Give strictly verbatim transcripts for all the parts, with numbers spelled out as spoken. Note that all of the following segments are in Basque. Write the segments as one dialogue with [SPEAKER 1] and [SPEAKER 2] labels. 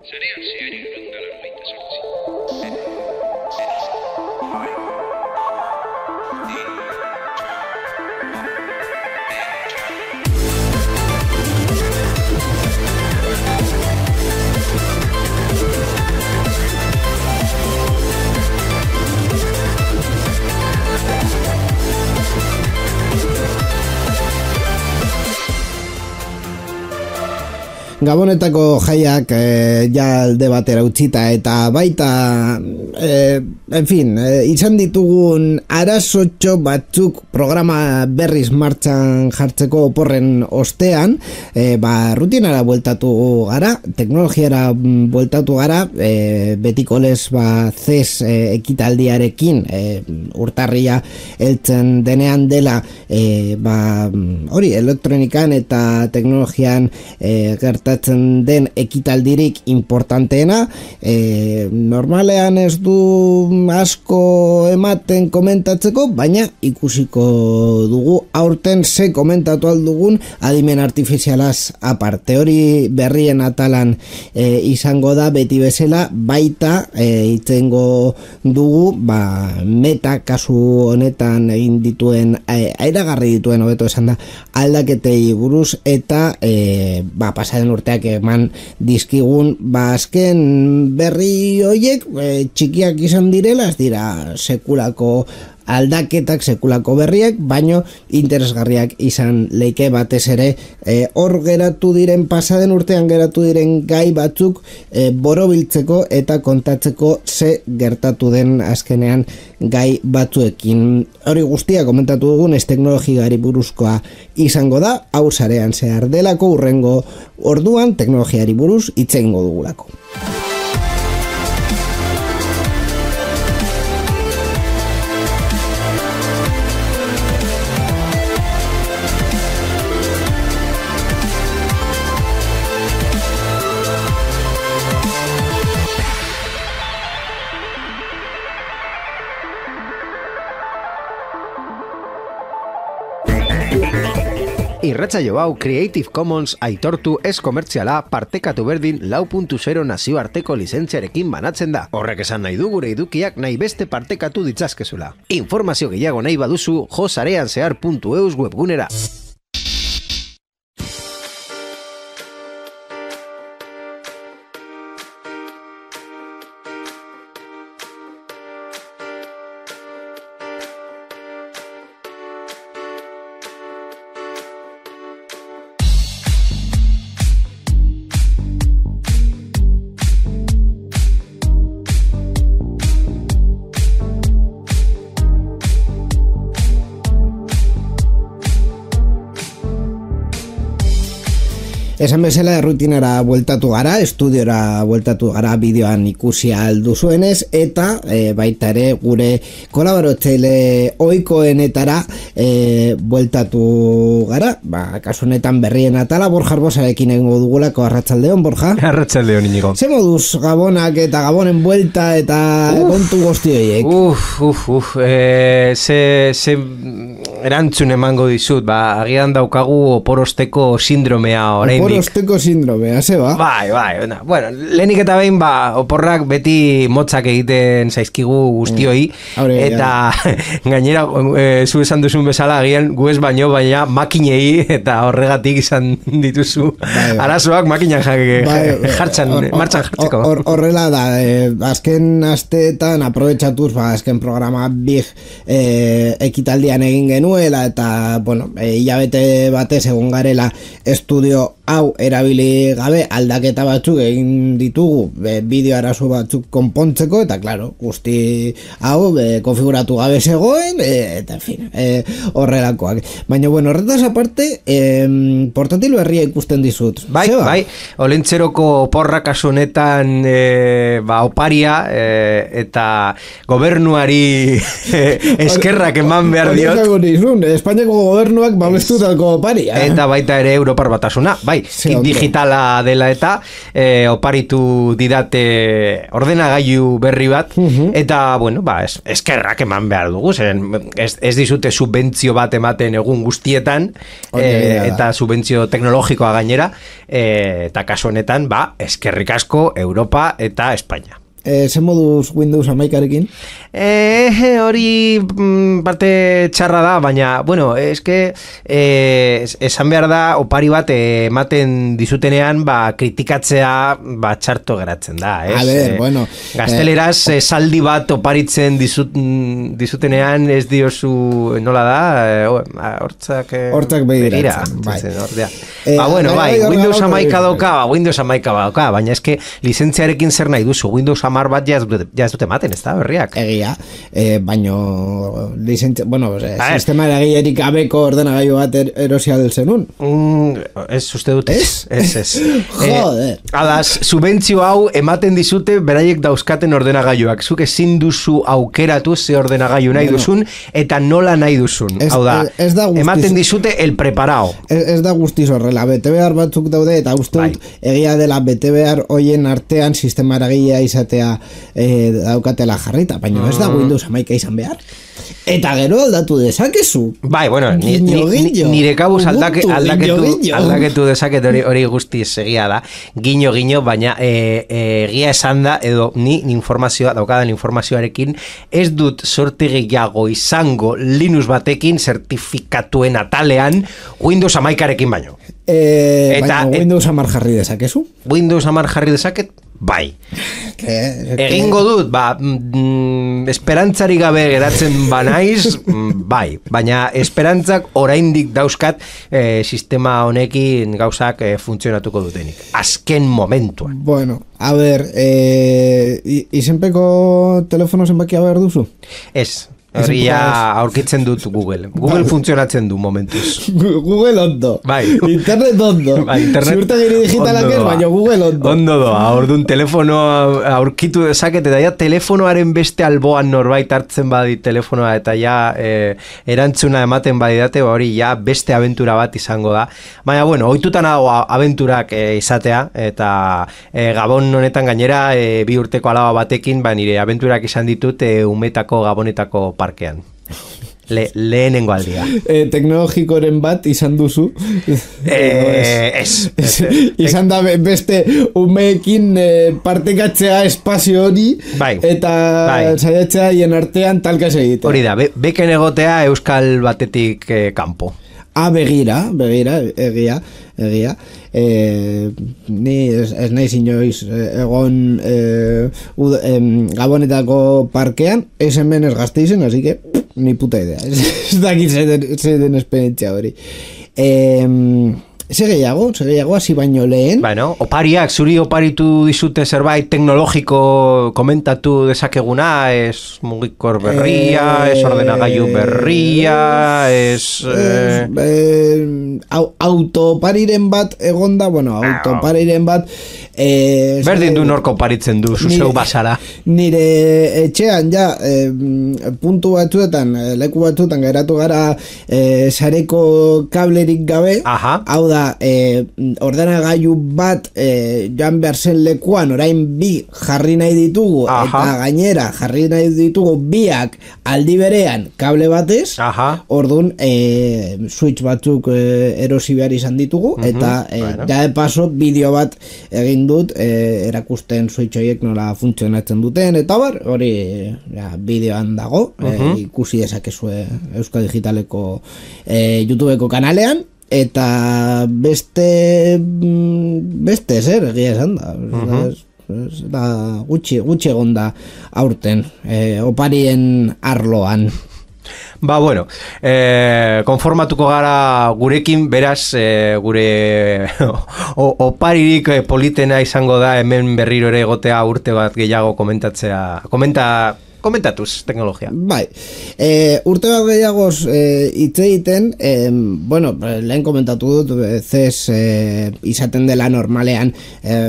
[SPEAKER 1] Zarean zehari uranda larrogeita sortzi.
[SPEAKER 2] Gabonetako jaiak e, ja alde batera utzita eta baita e, en fin, e, izan ditugun arazotxo batzuk programa berriz martxan jartzeko oporren ostean, e, ba, rutinara bueltatu gara, teknologiara bueltatu gara, e, betiko lez ba, zez e, ekitaldiarekin e, urtarria heltzen denean dela e, ba, hori elektronikan eta teknologian e, gerta den ekitaldirik importanteena, e, normalean ez du asko ematen komentatzeko, baina ikusiko dugu aurten ze komentatu aldugun adimen artifizialaz aparte. Hori berrien atalan e, izango da beti bezala, baita e, itzengo dugu ba, meta kasu honetan egin dituen e, airagarri dituen hobeto esan da aldaketei buruz eta e, ba, pasaren urteak eman dizkigun ba azken berri hoiek e, txikiak izan direla, ez dira sekulako aldaketak, sekulako berriak, baino interesgarriak izan leike batez ere e, hor geratu diren pasaden urtean geratu diren gai batzuk e, borobiltzeko eta kontatzeko ze gertatu den azkenean gai batzuekin. Hori guztia komentatu dugun ez teknologiari buruzkoa izango da, hau sarean zehar delako urrengo orduan teknologiari buruz hitz egingo dugulako.
[SPEAKER 3] Irratsaio hau Creative Commons aitortu ez komertziala partekatu berdin lau puntu zero nazioarteko lizentziarekin banatzen da. Horrek esan nahi du gure edukiak nahi beste partekatu ditzazkezula. Informazio gehiago nahi baduzu jo sarean zehar puntu eus webgunera.
[SPEAKER 2] Esan bezala rutinara bueltatu gara, estudiora bueltatu gara bideoan ikusi aldu zuenez, eta e, baita ere gure kolaboratzaile ohikoenetara e, bueltatu gara, ba, kasu honetan berrien atala, Borja Arbosarekin egingo dugulako. Arratsaldeon, Borja.
[SPEAKER 4] Arratsaldeon, Inigo.
[SPEAKER 2] Ze moduz gabonak eta gabonen buelta eta uf, kontu guzti horiek?
[SPEAKER 4] Uf, uf, uf, e, ze, ze erantzun emango dizut, ba, agian daukagu oporosteko sindromea orain.
[SPEAKER 2] Oporosteko sindromea, ze ba?
[SPEAKER 4] Bai, bai, na, bueno, lehenik eta behin, ba, oporrak beti motzak egiten zaizkigu guztioi, mm. Aure, eta ja. Gainera, e, zu esan duzun bezala, agian gu ez baino, baina makinei eta horregatik izan dituzu bai, arazoak makinan bai, jartzen, or, martxan jartzeko.
[SPEAKER 2] Or, horrela da, e, azken asteetan aprobetxatuz, ba, azken programa big e, ekitaldian egin genuela, eta, bueno, e, hilabete batez egon garela estudio hau erabili gabe aldaketa batzuk egin ditugu e, bideo arazo batzuk konpontzeko, eta claro, guzti hau e, konfiguratu gabe zegoen, e, eta en fin, e, horrelakoak. Baina, bueno, horretaz aparte, e, portatil berria ikusten dizut.
[SPEAKER 4] Bai, Zeba? Bai, olentzeroko porra kasu honetan e, ba, oparia e, eta gobernuari e, eskerrak eman behar diot.
[SPEAKER 2] Espainiako gobernuak babestutako oparia.
[SPEAKER 4] Eta baita ere Europar Batasuna, bai. bai, kit digitala dela eta e, oparitu didate ordenagailu berri bat, uh-huh. eta, bueno, ba, es, eskerrak eman behar dugu, zen, ez, ez dizute subentzio bat ematen egun guztietan, e, eta subentzio teknologikoa gainera, e, eta kasu honetan, ba, eskerrik asko Europa eta Espainia.
[SPEAKER 2] E, zen moduz Windows hamaikarekin?
[SPEAKER 4] E, hori mm, parte txarra da, baina, bueno, eske e, esan behar da, opari bat ematen dizutenean, ba, kritikatzea, ba, txarto geratzen da, ez?
[SPEAKER 2] A ver, bueno.
[SPEAKER 4] Gazteleraz, eh, saldi bat oparitzen dizut, dizutenean, ez diozu, nola da, hortzak... Eh,
[SPEAKER 2] hortzak behiratzen,
[SPEAKER 4] bai. Eh, ba, bueno, bai, Windows hamaika doka, ba, Windows hamaika doka, baina eske lizentziarekin zer nahi duzu, Windows hamar bat ja ez dute ematen, ez da, berriak?
[SPEAKER 2] Egia, eh, baino licentzia, bueno, eh, sistema eragilerik gabeko ordenagailu bat er, erosial zenun.
[SPEAKER 4] Mm, ez uste dut, ez? Ez, ez.
[SPEAKER 2] Joder.
[SPEAKER 4] Eh, adaz, subentzio hau ematen dizute beraiek dauzkaten ordenagailuak. Zuk ezin duzu aukeratu ze ordenagailu nahi duzun, eta nola nahi duzun.
[SPEAKER 2] Ez,
[SPEAKER 4] hau da,
[SPEAKER 2] ez da guztiz,
[SPEAKER 4] ematen dizute el preparao.
[SPEAKER 2] Ez, ez da guztiz horrela, bete behar batzuk daude, eta uste dut, bai. Egia dela bete behar hoien artean sistema eragilea izatea eh, daukatela jarrita, baina ez da Windows hamaika izan behar. Eta gero aldatu dezakezu.
[SPEAKER 4] Bai, bueno, ni,
[SPEAKER 2] guiño,
[SPEAKER 4] ni,
[SPEAKER 2] guiño.
[SPEAKER 4] nire kabuz aldake,
[SPEAKER 2] Ubuntu,
[SPEAKER 4] aldaketu,
[SPEAKER 2] guiño, guiño.
[SPEAKER 4] aldaketu dezaket hori, hori guztiz egia da. Giño, giño, baina e, e, egia esan da, edo ni informazioa, daukadan informazioarekin, ez dut sorte gehiago izango Linux batekin zertifikatuen atalean Windows hamaikarekin baino.
[SPEAKER 2] E, Eta, baina Windows hamar jarri dezakezu?
[SPEAKER 4] Windows hamar jarri dezaket? Bai.
[SPEAKER 2] Ke,
[SPEAKER 4] Egingo dut, ba, mm, esperantzari gabe geratzen banaiz, mm, bai, baina esperantzak oraindik dauzkat eh, sistema honekin gauzak eh, funtzionatuko dutenik. Azken momentuan.
[SPEAKER 2] Bueno, a ver, eh, izenpeko telefono zenbakia behar duzu?
[SPEAKER 4] Ez. Hori ja aurkitzen dut Google. Google funtzionatzen du momentuz.
[SPEAKER 2] Google ondo.
[SPEAKER 4] Bai.
[SPEAKER 2] Internet ondo.
[SPEAKER 4] Bai, internet
[SPEAKER 2] ziurtagiri digitalak ez, baina Google ondo.
[SPEAKER 4] Ondo doa. Orduan telefono aurkitu dezaket, eta ja telefonoaren beste alboan norbait hartzen badi telefonoa, eta ja eh, erantzuna ematen badidate, hori ja beste abentura bat izango da. Baina, bueno, ohitutan hau abenturak eh, izatea, eta eh, Gabon honetan gainera eh, bi urteko alaba batekin, ba, nire abenturak izan ditut eh, umetako Gabonetako parkean. Le, lehenengo aldia.
[SPEAKER 2] E, teknologikoren bat izan duzu.
[SPEAKER 4] Eh, ez.
[SPEAKER 2] Izan da beste umeekin e, partekatzea espazio hori,
[SPEAKER 4] bai,
[SPEAKER 2] eta
[SPEAKER 4] bai.
[SPEAKER 2] saiatzea hien artean talka egite.
[SPEAKER 4] Hori da, be, beken egotea euskal batetik eh, kanpo.
[SPEAKER 2] Ah, begira, begira, egia, egia. E, ni ez, ez nahi inoiz egon e, ud, em, Gabonetako parkean, ez hemen ez Gasteizen, así que ni puta idea. Ez dakit zeden esperientzia hori. E, Ze gehiago, ze gehiago, hasi baino lehen.
[SPEAKER 4] Bueno, opariak, zuri oparitu dizute zerbait teknologiko komentatu dezakeguna, ez mugikor berria, eh, ez ordenagailu berria, ez...
[SPEAKER 2] Eh, eh, autopariren bat egonda, bueno, autopariren bat... Eh,
[SPEAKER 4] berdin du norko oparitzen du, zuzeu basara.
[SPEAKER 2] Nire etxean, ja, eh, puntu batzuetan, leku batzuetan geratu gara eh, sareko kablerik gabe, aha. Hau da, E, ordenagailu bat e, joan behar zen lekuan orain bi jarri nahi ditugu, aha. Eta gainera jarri nahi ditugu biak aldi berean kable batez, orduan e, switch batzuk e, erosi behar izan ditugu, uh-huh. Eta e, bueno. Ja de paso bideo bat egin dut e, erakusten switch horiek nola funtzionatzen duten, eta bar, hori ja, bideoan dago, uh-huh. e, ikusi dezakezue Euskal Digitaleko e, YouTubeko kanalean. Eta beste beste zer egia esan da, uh-huh. es, es, da gutxi, gutxi egon da aurten eh, oparien arloan.
[SPEAKER 4] Ba, bueno, eh, konformatuko gara gurekin, beraz, eh, gure o, oparirik politena izango da hemen berriro ere egotea urte bat gehiago komentatzea, komenta komentatuz teknologia.
[SPEAKER 2] Bai, e, urte bat gehiagoz hitz e, egiten, e, bueno, lehen komentatu dut, C E S e, izaten dela normalean, e,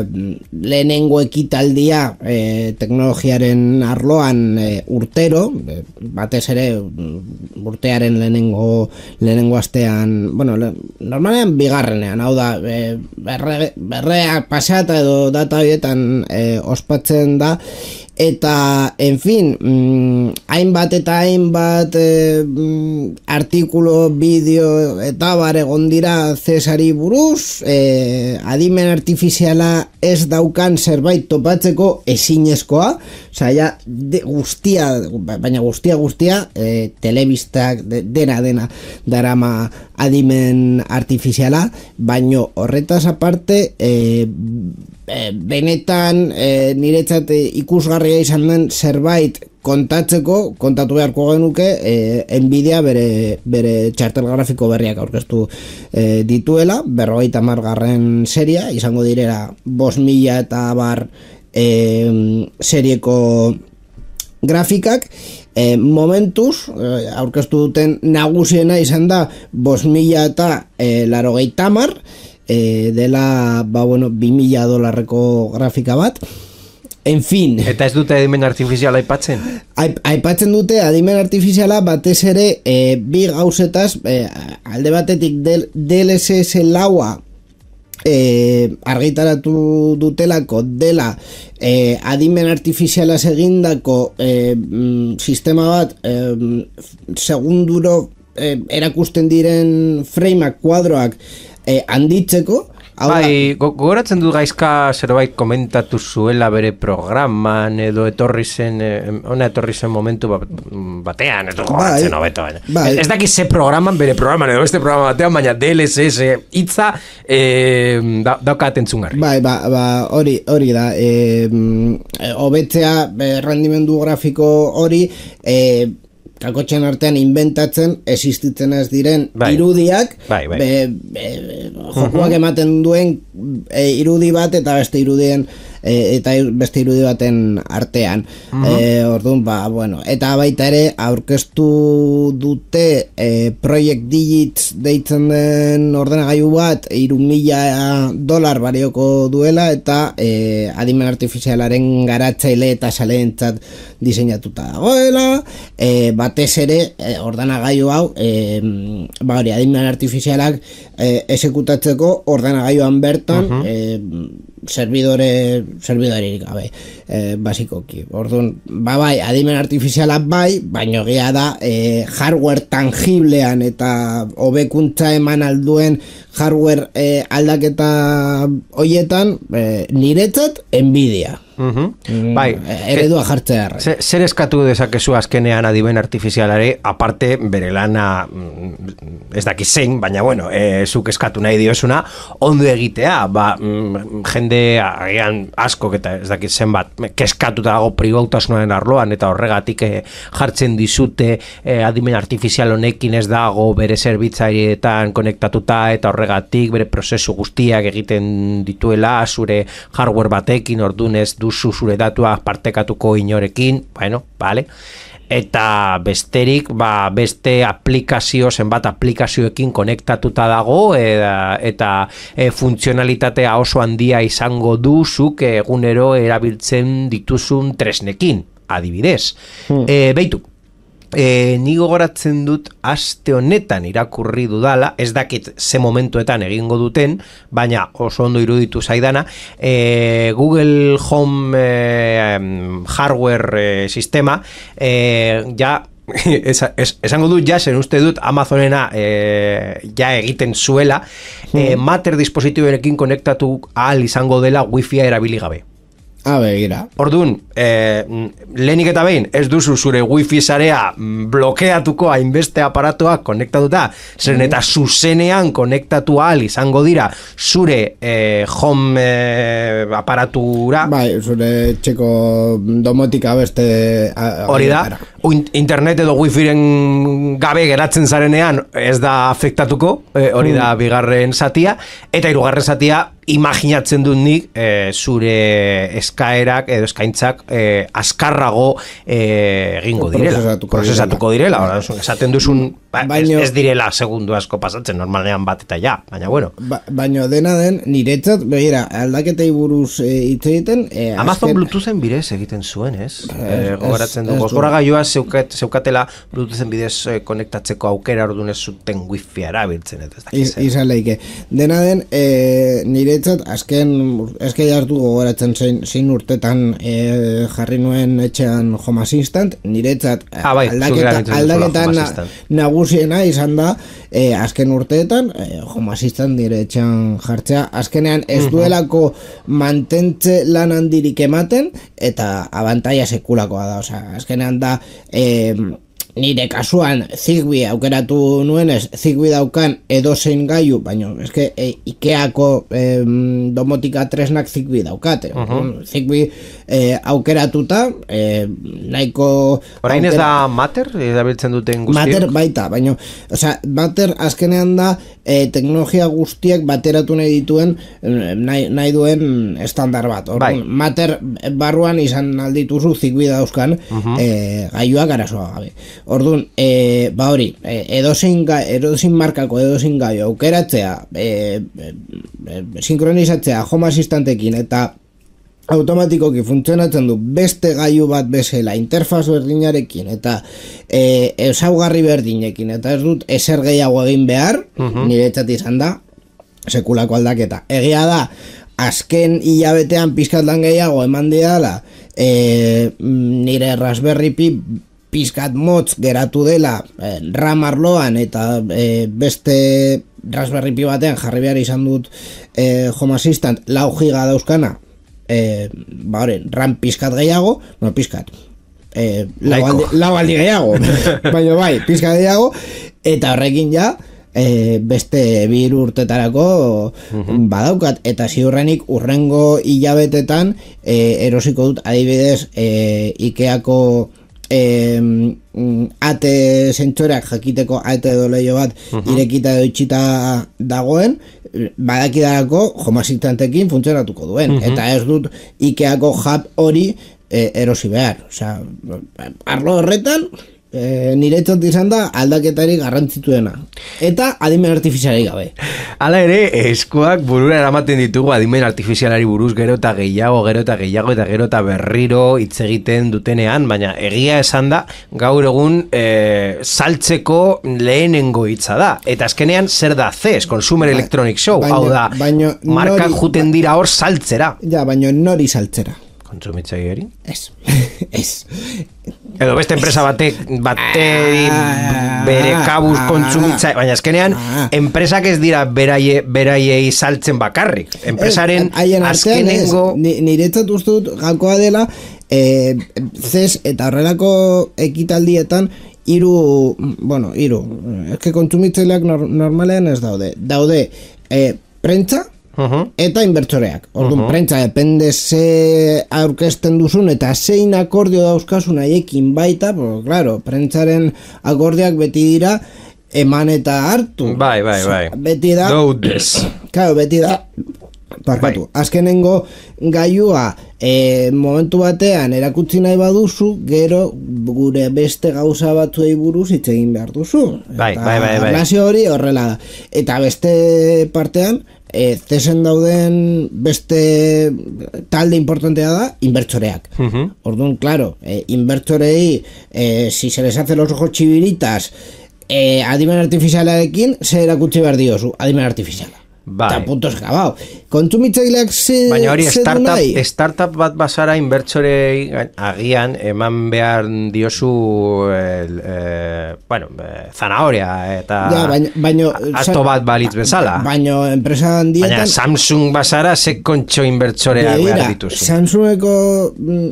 [SPEAKER 2] lehenengo ekitaldia e, teknologiaren arloan e, urtero, e, batez ere urtearen lehenengo, lehenengo astean, bueno, le, normalean bigarrenean, hau da, e, berre, berrea pasata edo data horietan e, ospatzen da, eta, en fin, mm, hainbat eta hainbat e, mm, artikulo, bideo eta bar egon dira Cesari buruz, e, adimen artifiziala ez daukan zerbait topatzeko ezinezkoa, osea, de, guztia, baina guztia guztia, e, telebistak, de, dena dena darama adimen artifiziala, baino horretaz aparte, e, e, benetan e, niretzat ikusgarria izan den zerbait kontatzeko, kontatu beharko genuke, e, Nvidia bere, bere txartel grafiko berriak aurkeztu e, dituela, berrogeita hamargarren seria, izango direra bost mila eta bar e, serieko grafikak, e, momentuz, e, aurkeztu duten nagusiena izan da bost mila eta e, larogeita hamar, e, dela, ba bueno, bi mila dolarreko grafika bat. En fin.
[SPEAKER 4] Eta ez dute adimen artifiziala aipatzen?
[SPEAKER 2] Aipatzen dute adimen artifiziala batez ere e, bi gauzetaz, e, alde batetik D L S S laua e, argitaratu dutelako dela e, adimen artifiziala egindako e, mm, sistema bat e, segunduro e, erakusten diren frameak, kuadroak e, handitzeko.
[SPEAKER 4] Bai, gogoratzen dut gaizka zerbait komentatu zuela bere programan edo etorri zen, ona etorri zen momentu batean, ez dut gogoratzen hobeto. Ez, ez dakiz ze programan, bere programan edo beste programa batean, baina D L S S hitza eh, da, daukaten zungarri.
[SPEAKER 2] Bai, ba, ba, hori, hori da, hobetzea eh, rendimendu grafiko hori, eh, kakotxen artean inventatzen existitzen ez diren bai. irudiak
[SPEAKER 4] bai, bai.
[SPEAKER 2] Be, be, jokuak ematen duen e, irudi bat eta beste irudien e, eta beste irudi baten artean. Uh-huh. e, orduan, ba, bueno, eta baita ere aurkeztu dute e, Project Digits deitzen den ordenagailu bat hiru mila dolar balioko duela eta e, adimen artifizialaren garatzaile eta saleentzat diseinatuta dagoela, e, batez ere e, ordenagailu hau e, ba hori, adimen artifizialak e, exekutatzeko ordenagailuan bertan uh-huh. e, servidore servidoririk gabe e, basikoki. Orduan, ba bai, adimen artifiziala bai, baino egia da e, hardware tangiblean eta hobekuntza eman alduen hardware e, aldaketa hoietan e, niretzat Nvidia.
[SPEAKER 4] Uh-huh. Mm, bai,
[SPEAKER 2] eredua jartzea.
[SPEAKER 4] Zer eskatu dezakezu azkenean adimen artifizialare, aparte bere lana ez daki zein, baina bueno, e, zuk eskatu nahi diosuna, ondo egitea, ba, mm, jende agian asko eta ez daki zenbat, keskatuta dago pribautasunaren arloan, eta horregatik e, jartzen dizute e, adimen artifizial honekin ez dago bere zerbitzarietan konektatuta, eta horregatik bere prozesu guztiak egiten dituela zure hardware batekin, ordunez duzu zure datuak partekatuko inorekin, bueno, vale. Eta besterik, ba, beste aplikazio, zenbat aplikazioekin konektatuta dago, eta, eta e, funtzionalitatea oso handia izango duzuk egunero erabiltzen dituzun tresnekin, adibidez. Hmm. E, beitu. E, ni gogoratzen dut aste honetan irakurri dudala, ez dakit ze momentuetan egingo duten, baina oso ondo iruditu zaidana, e, Google Home e, hardware e, sistema e, ja es, es, esango dut ja, zen uste dut Amazonena e, ja egiten zuela e, Matter dispositiboekin konektatu ahal izango dela Wi-Fi erabili gabe.
[SPEAKER 2] A begira.
[SPEAKER 4] Orduan, eh, lehenik eta behin, ez duzu zure wifi sarea blokeatuko hainbeste aparatuak konektatuta, zeren eta zuzenean konektatu ahal izango dira zure eh, home eh, aparatura.
[SPEAKER 2] Bai, zure txeko domotika beste...
[SPEAKER 4] Hori da, internet edo wifiren gabe geratzen zarenean ez da afektatuko, e, hori da bigarren zatia, eta hirugarren zatia imaginatzen dut nik e, zure eskaerak edo eskaintzak e, azkarrago e, egingo direla,
[SPEAKER 2] Prozesatuko
[SPEAKER 4] prozesatuko direla,
[SPEAKER 2] direla.
[SPEAKER 4] esaten duzun ba,
[SPEAKER 2] Baino,
[SPEAKER 4] ez, ez direla segundu asko pasatzen, normalean bat eta ja, baina bueno.
[SPEAKER 2] Ba, baino dena den, niretzat, begira, aldaketei buruz e, hitz egiten... E,
[SPEAKER 4] Amazon
[SPEAKER 2] azken...
[SPEAKER 4] Bluetoothen bidez egiten zuen, ez?
[SPEAKER 2] Ez,
[SPEAKER 4] E, gogoratzen
[SPEAKER 2] ez,
[SPEAKER 4] du,
[SPEAKER 2] ez
[SPEAKER 4] gozgora gaioa zeukat, zeukatela Bluetoothen bidez e, konektatzeko aukera orduan ez zuten wifi erabiltzen, eta ez dakiz.
[SPEAKER 2] Izan leike. Dena den, e, niretzat, azken, eske jartu gogoratzen zein, zein urtetan e, jarri nuen etxean Home Assistant, niretzat
[SPEAKER 4] ah, bai,
[SPEAKER 2] aldaketa, aldaketa na, nagusiena izan da, e, azken urteetan, e, Home Assistant nire etxean jartzea, azkenean ez duelako mantentze lan handirik ematen, eta abantaia sekulakoa da, osea, azkenean da, e, nire kasuan Zigbee aukeratu nuenez, Zigbee daukan edozein gailu, baina eske e, Ikeako e, domotika tresnak Zigbee daukate. Uh -huh. Zigbee e, aukeratuta, e, nahiko...
[SPEAKER 4] Orain ez da Matter, erabiltzen duten guztiak?
[SPEAKER 2] Matter baita, baina, osea, Matter azkenean da e, teknologia guztiak bateratu nahi dituen, nahi, nahi duen estandar bat. Orduan, bai. Matter barruan izan aldituzu Zigbee dauzkan uh -huh. e, gailuak arazoa gabe. Orduan, e, ba hori, e, edozein, edozein markako edozein gailu aukeratzea, e, e, e, sinkronizatzea Home Assistantekin eta automatikoki funtzionatzen du beste gailu bat bezala interfaz berdinarekin eta e, ezaugarri berdinekin eta ez dut ezer gehiago egin behar, uh-huh. niretzat izan da sekulako aldaketa. Egia da, azken hilabetean pizkatan gehiago eman didala e, nire Raspberry Pi pizkat motz geratu dela eh, RAM arloan eta eh, beste Raspberry Pi batean jarri behar izan dut eh, Home Assistant lau giga dauzkana eh, ba hori, RAM pizkat gehiago, no pizkat eh, lau, aldi, lau aldi gehiago baina bai, pizkat gehiago eta horrekin ja E, beste bi urtetarako uh-huh. badaukat eta ziurrenik urrengo hilabetetan e, erosiko dut adibidez e, Ikeako e, ate zentsoreak jakiteko ate doleio bat uh-huh. irekita edo itxita dagoen badakidarako Home Assistantekin funtzionatuko duen uh-huh. eta ez dut Ikeako hub hori e, erosi behar, osea, arlo horretan E, niretzat izan da aldaketari garrantzituena eta adimen artifizialari gabe.
[SPEAKER 4] Hala ere, eskuak burura eramaten ditugu adimen artifizialari buruz gero eta gehiago, gero eta gehiago eta gero eta berriro hitz egiten dutenean, baina egia esan da gaur egun e, saltzeko lehenengo hitza da, eta azkenean zer da C E S, Consumer ba, Electronic Show, baino, hau da, baino, markak nori, juten dira hor saltzera.
[SPEAKER 2] Ja, baina nori saltzera?
[SPEAKER 4] Kontsumitzaileari?
[SPEAKER 2] Ez, ez.
[SPEAKER 4] Edo beste enpresa batek bateri bere kabuz kontsumitza, baina azkenean enpresak ez dira beraie, beraiei saltzen bakarrik. Enpresaren azkenengo...
[SPEAKER 2] Niretzat uste dut gakoa dela e, C E S eta horrelako ekitaldietan hiru, bueno, hiru, eske kontsumitzaileak normalean ez daude. Daude e, prentza, Uh-huh. eta inbertsoreak. Orduan, uh-huh. prentza depende ze aurkezten duzun eta zein akordio dauzkasun haiekin baita, porque claro, prentzaren akordioak beti dira eman eta hartu.
[SPEAKER 4] Bai, bai, bai.
[SPEAKER 2] Beti da...
[SPEAKER 4] Doudes.
[SPEAKER 2] Claro, beti da... Parkatu. Bai. Azkenengo gailua e, momentu batean erakutsi nahi baduzu, gero gure beste gauza batzuei buruz hitz egin behar duzu.
[SPEAKER 4] Bai, bai, bai, bai.
[SPEAKER 2] Relazio hori horrela da. Eta beste partean, E, zesen dauden beste talde importantea da inbertsoreak. Uh-huh. Orduan, claro, e, inbertsorei e, si se les hace los ojos chiviritas e, adimen artifizialarekin ze erakutsi behar diozu, adimen artifiziala.
[SPEAKER 4] Bai.
[SPEAKER 2] Eta puntos acabado. Kontsumitzaileak ze
[SPEAKER 4] baina hori
[SPEAKER 2] ze
[SPEAKER 4] startup, startup bat basara inbertsorei agian eman behar diozu el, eh, bueno, eh, zanahoria eta
[SPEAKER 2] ja, baina, baina,
[SPEAKER 4] asto bat balitz bezala.
[SPEAKER 2] Baina enpresa handietan...
[SPEAKER 4] Baina Samsung basara ze kontxo inbertsoreak behar dituzu.
[SPEAKER 2] Samsungeko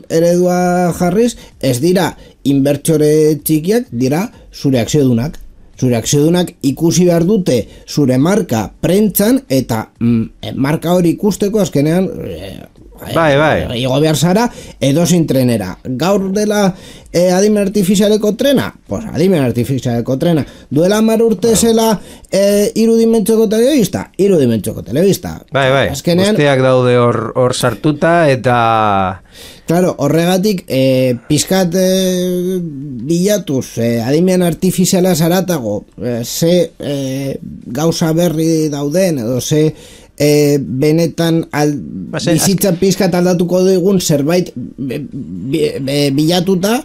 [SPEAKER 2] eredua jarriz, ez dira inbertsore txikiak, dira zure akziodunak. Zure akziodunak ikusi behar dute zure marka prentzan eta mm, marka hori ikusteko azkenean e,
[SPEAKER 4] Bai, bai.
[SPEAKER 2] Igo behar zara, edozein trenera. Gaur dela eh, adimen artifizialeko trena? Pues adimen artifizialeko trena. Duela hamar urte zela eh, irudimentxoko telebista? Irudimentxoko telebista.
[SPEAKER 4] Bai, bai.
[SPEAKER 2] Azkenean,
[SPEAKER 4] guztiak daude hor, hor sartuta eta...
[SPEAKER 2] Claro, horregatik eh, pizkat eh, bilatuz eh, adimen artifiziala zaratago eh, ze eh, gauza berri dauden edo ze eh, benetan al,
[SPEAKER 4] Base,
[SPEAKER 2] bizitza pizkat aldatuko dugun zerbait be, be, be, bilatuta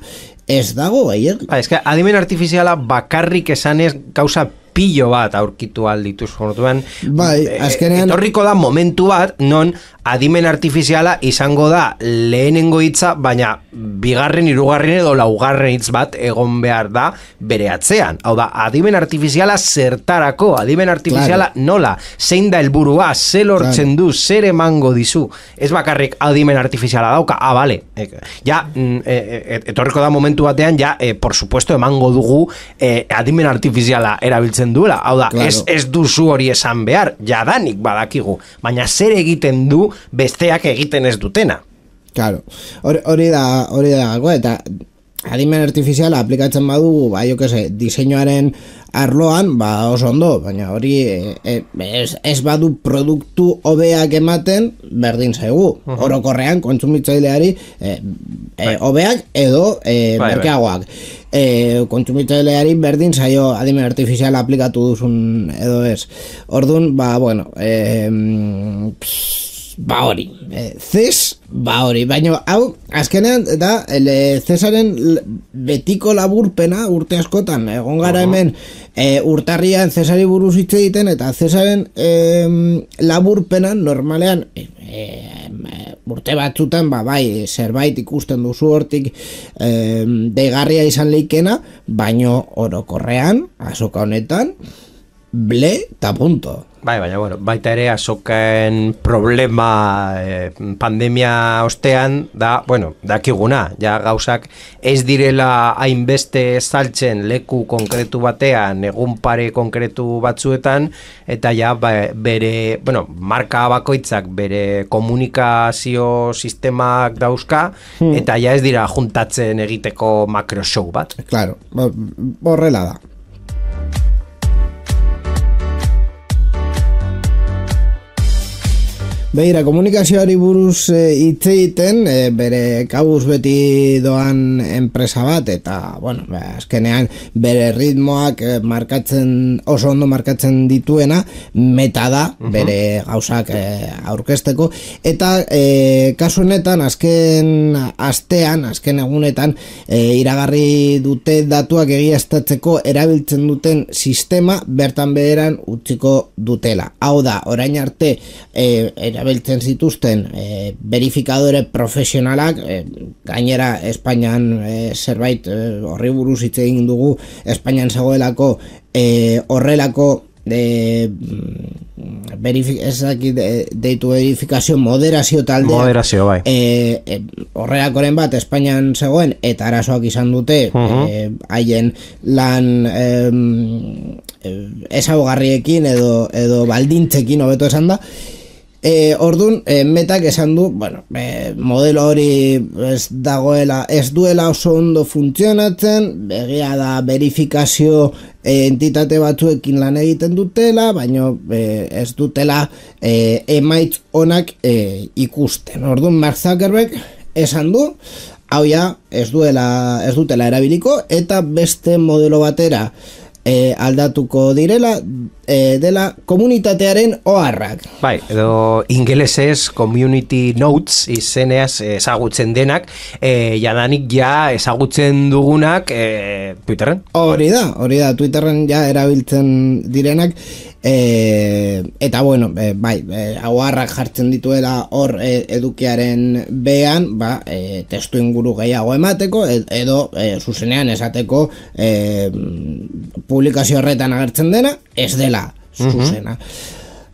[SPEAKER 2] ez dago gehiago.
[SPEAKER 4] Ba, eske, adimen artifiziala bakarrik esanez gauza pillo bat aurkitu aldituz jortuan.
[SPEAKER 2] Bai, azkenean...
[SPEAKER 4] Etorriko da momentu bat, non adimen artifiziala izango da lehenengo hitza, baina bigarren, hirugarren edo laugarren hitz bat egon behar da bere atzean. Hau da, adimen artifiziala zertarako, adimen artifiziala claro. Nola, zein da helburua, ze lortzen claro. Du, zer emango dizu. Ez bakarrik adimen artifiziala dauka, ah, bale. Ja, e, etorriko da momentu batean, ja, e, por supuesto, emango dugu e, adimen artifiziala erabiltzen duela. Hau da, claro. ez, ez duzu hori esan behar, jadanik badakigu, baina zer egiten du besteak egiten ez dutena.
[SPEAKER 2] Claro, hori da, hori da gakoa, eta adimen artifiziala aplikatzen badugu, ba, jo que se, diseinuaren arloan, ba, oso ondo, baina hori e, e, ez, ez badu produktu hobeak ematen, berdin zaigu. Uh-huh. Orokorrean, kontsumitzaileari e, e, hobeak edo e, bai, merkeagoak. E, kontsumitzaileari berdin zaio adimen artifiziala aplikatu duzun edo ez. Orduan, ba, bueno, e, pss, ba hori, e, Ces, ba hori, baina hau, azkenean, da, ele, Cesaren betiko laburpena urte askotan, egon gara hemen e, urtarrian Cesari buruz hitz egiten, eta Cesaren e, laburpena normalean e, e, urte batzutan, ba bai, zerbait ikusten duzu hortik e, deigarria izan leikena, baino orokorrean, azoka honetan, ble eta punto.
[SPEAKER 4] Bai, baina, bueno, baita ere azoken problema eh, pandemia ostean da, bueno, dakiguna, ja gauzak ez direla hainbeste saltzen leku konkretu batean, egun pare konkretu batzuetan, eta ja ba, bere, bueno, marka bakoitzak bere komunikazio sistemak dauzka, hmm. eta ja ez dira juntatzen egiteko makro show bat.
[SPEAKER 2] Claro, horrela da. Beira, komunikazioari buruz hitz e, egiten, e, bere kabuz beti doan enpresa bat, eta, bueno, azkenean bere ritmoak e, markatzen, oso ondo markatzen dituena, meta da, bere gauzak e, aurkezteko, eta e, kasu honetan, azken astean, azken egunetan, e, iragarri dute datuak egiaztatzeko erabiltzen duten sistema, bertan beheran utziko dutela. Hau da, orain arte, e, erabiltzen zituzten e, verifikadore profesionalak, e, gainera Espainian e, zerbait e, horri buruz hitz egin dugu, Espainian zegoelako e, horrelako de verifi, ezaki de, deitu verifikazio moderazio taldea
[SPEAKER 4] moderazio bai
[SPEAKER 2] e, e, horrelakoren bat Espainian zegoen eta arazoak izan dute haien uh-huh. e, lan e, ezaugarriekin edo, edo baldintzekin hobeto esan da. E, ordun, e, metak esan du, bueno, e, modelo hori ez dagoela, ez duela oso ondo funtzionatzen, begia da verifikazio e, entitate batzuekin lan egiten dutela, baina e, ez dutela e, emaitz onak e, ikusten. Ordun, Mark Zuckerberg esan du, hau ja, ez duela, ez dutela erabiliko, eta beste modelo batera E, aldatuko direla e, dela komunitatearen oharrak.
[SPEAKER 4] Bai, edo ingelesez community notes izeneaz ezagutzen denak, e, jadanik ja ezagutzen dugunak e, Twitterren.
[SPEAKER 2] Hori da, hori da, Twitterren ja erabiltzen direnak, e, eta bueno, e, bai, e, oharrak jartzen dituela hor e, edukiaren bean, ba, e, testu inguru gehiago emateko, edo e, zuzenean esateko e, publikazio horretan agertzen dena, ez dela zuzena.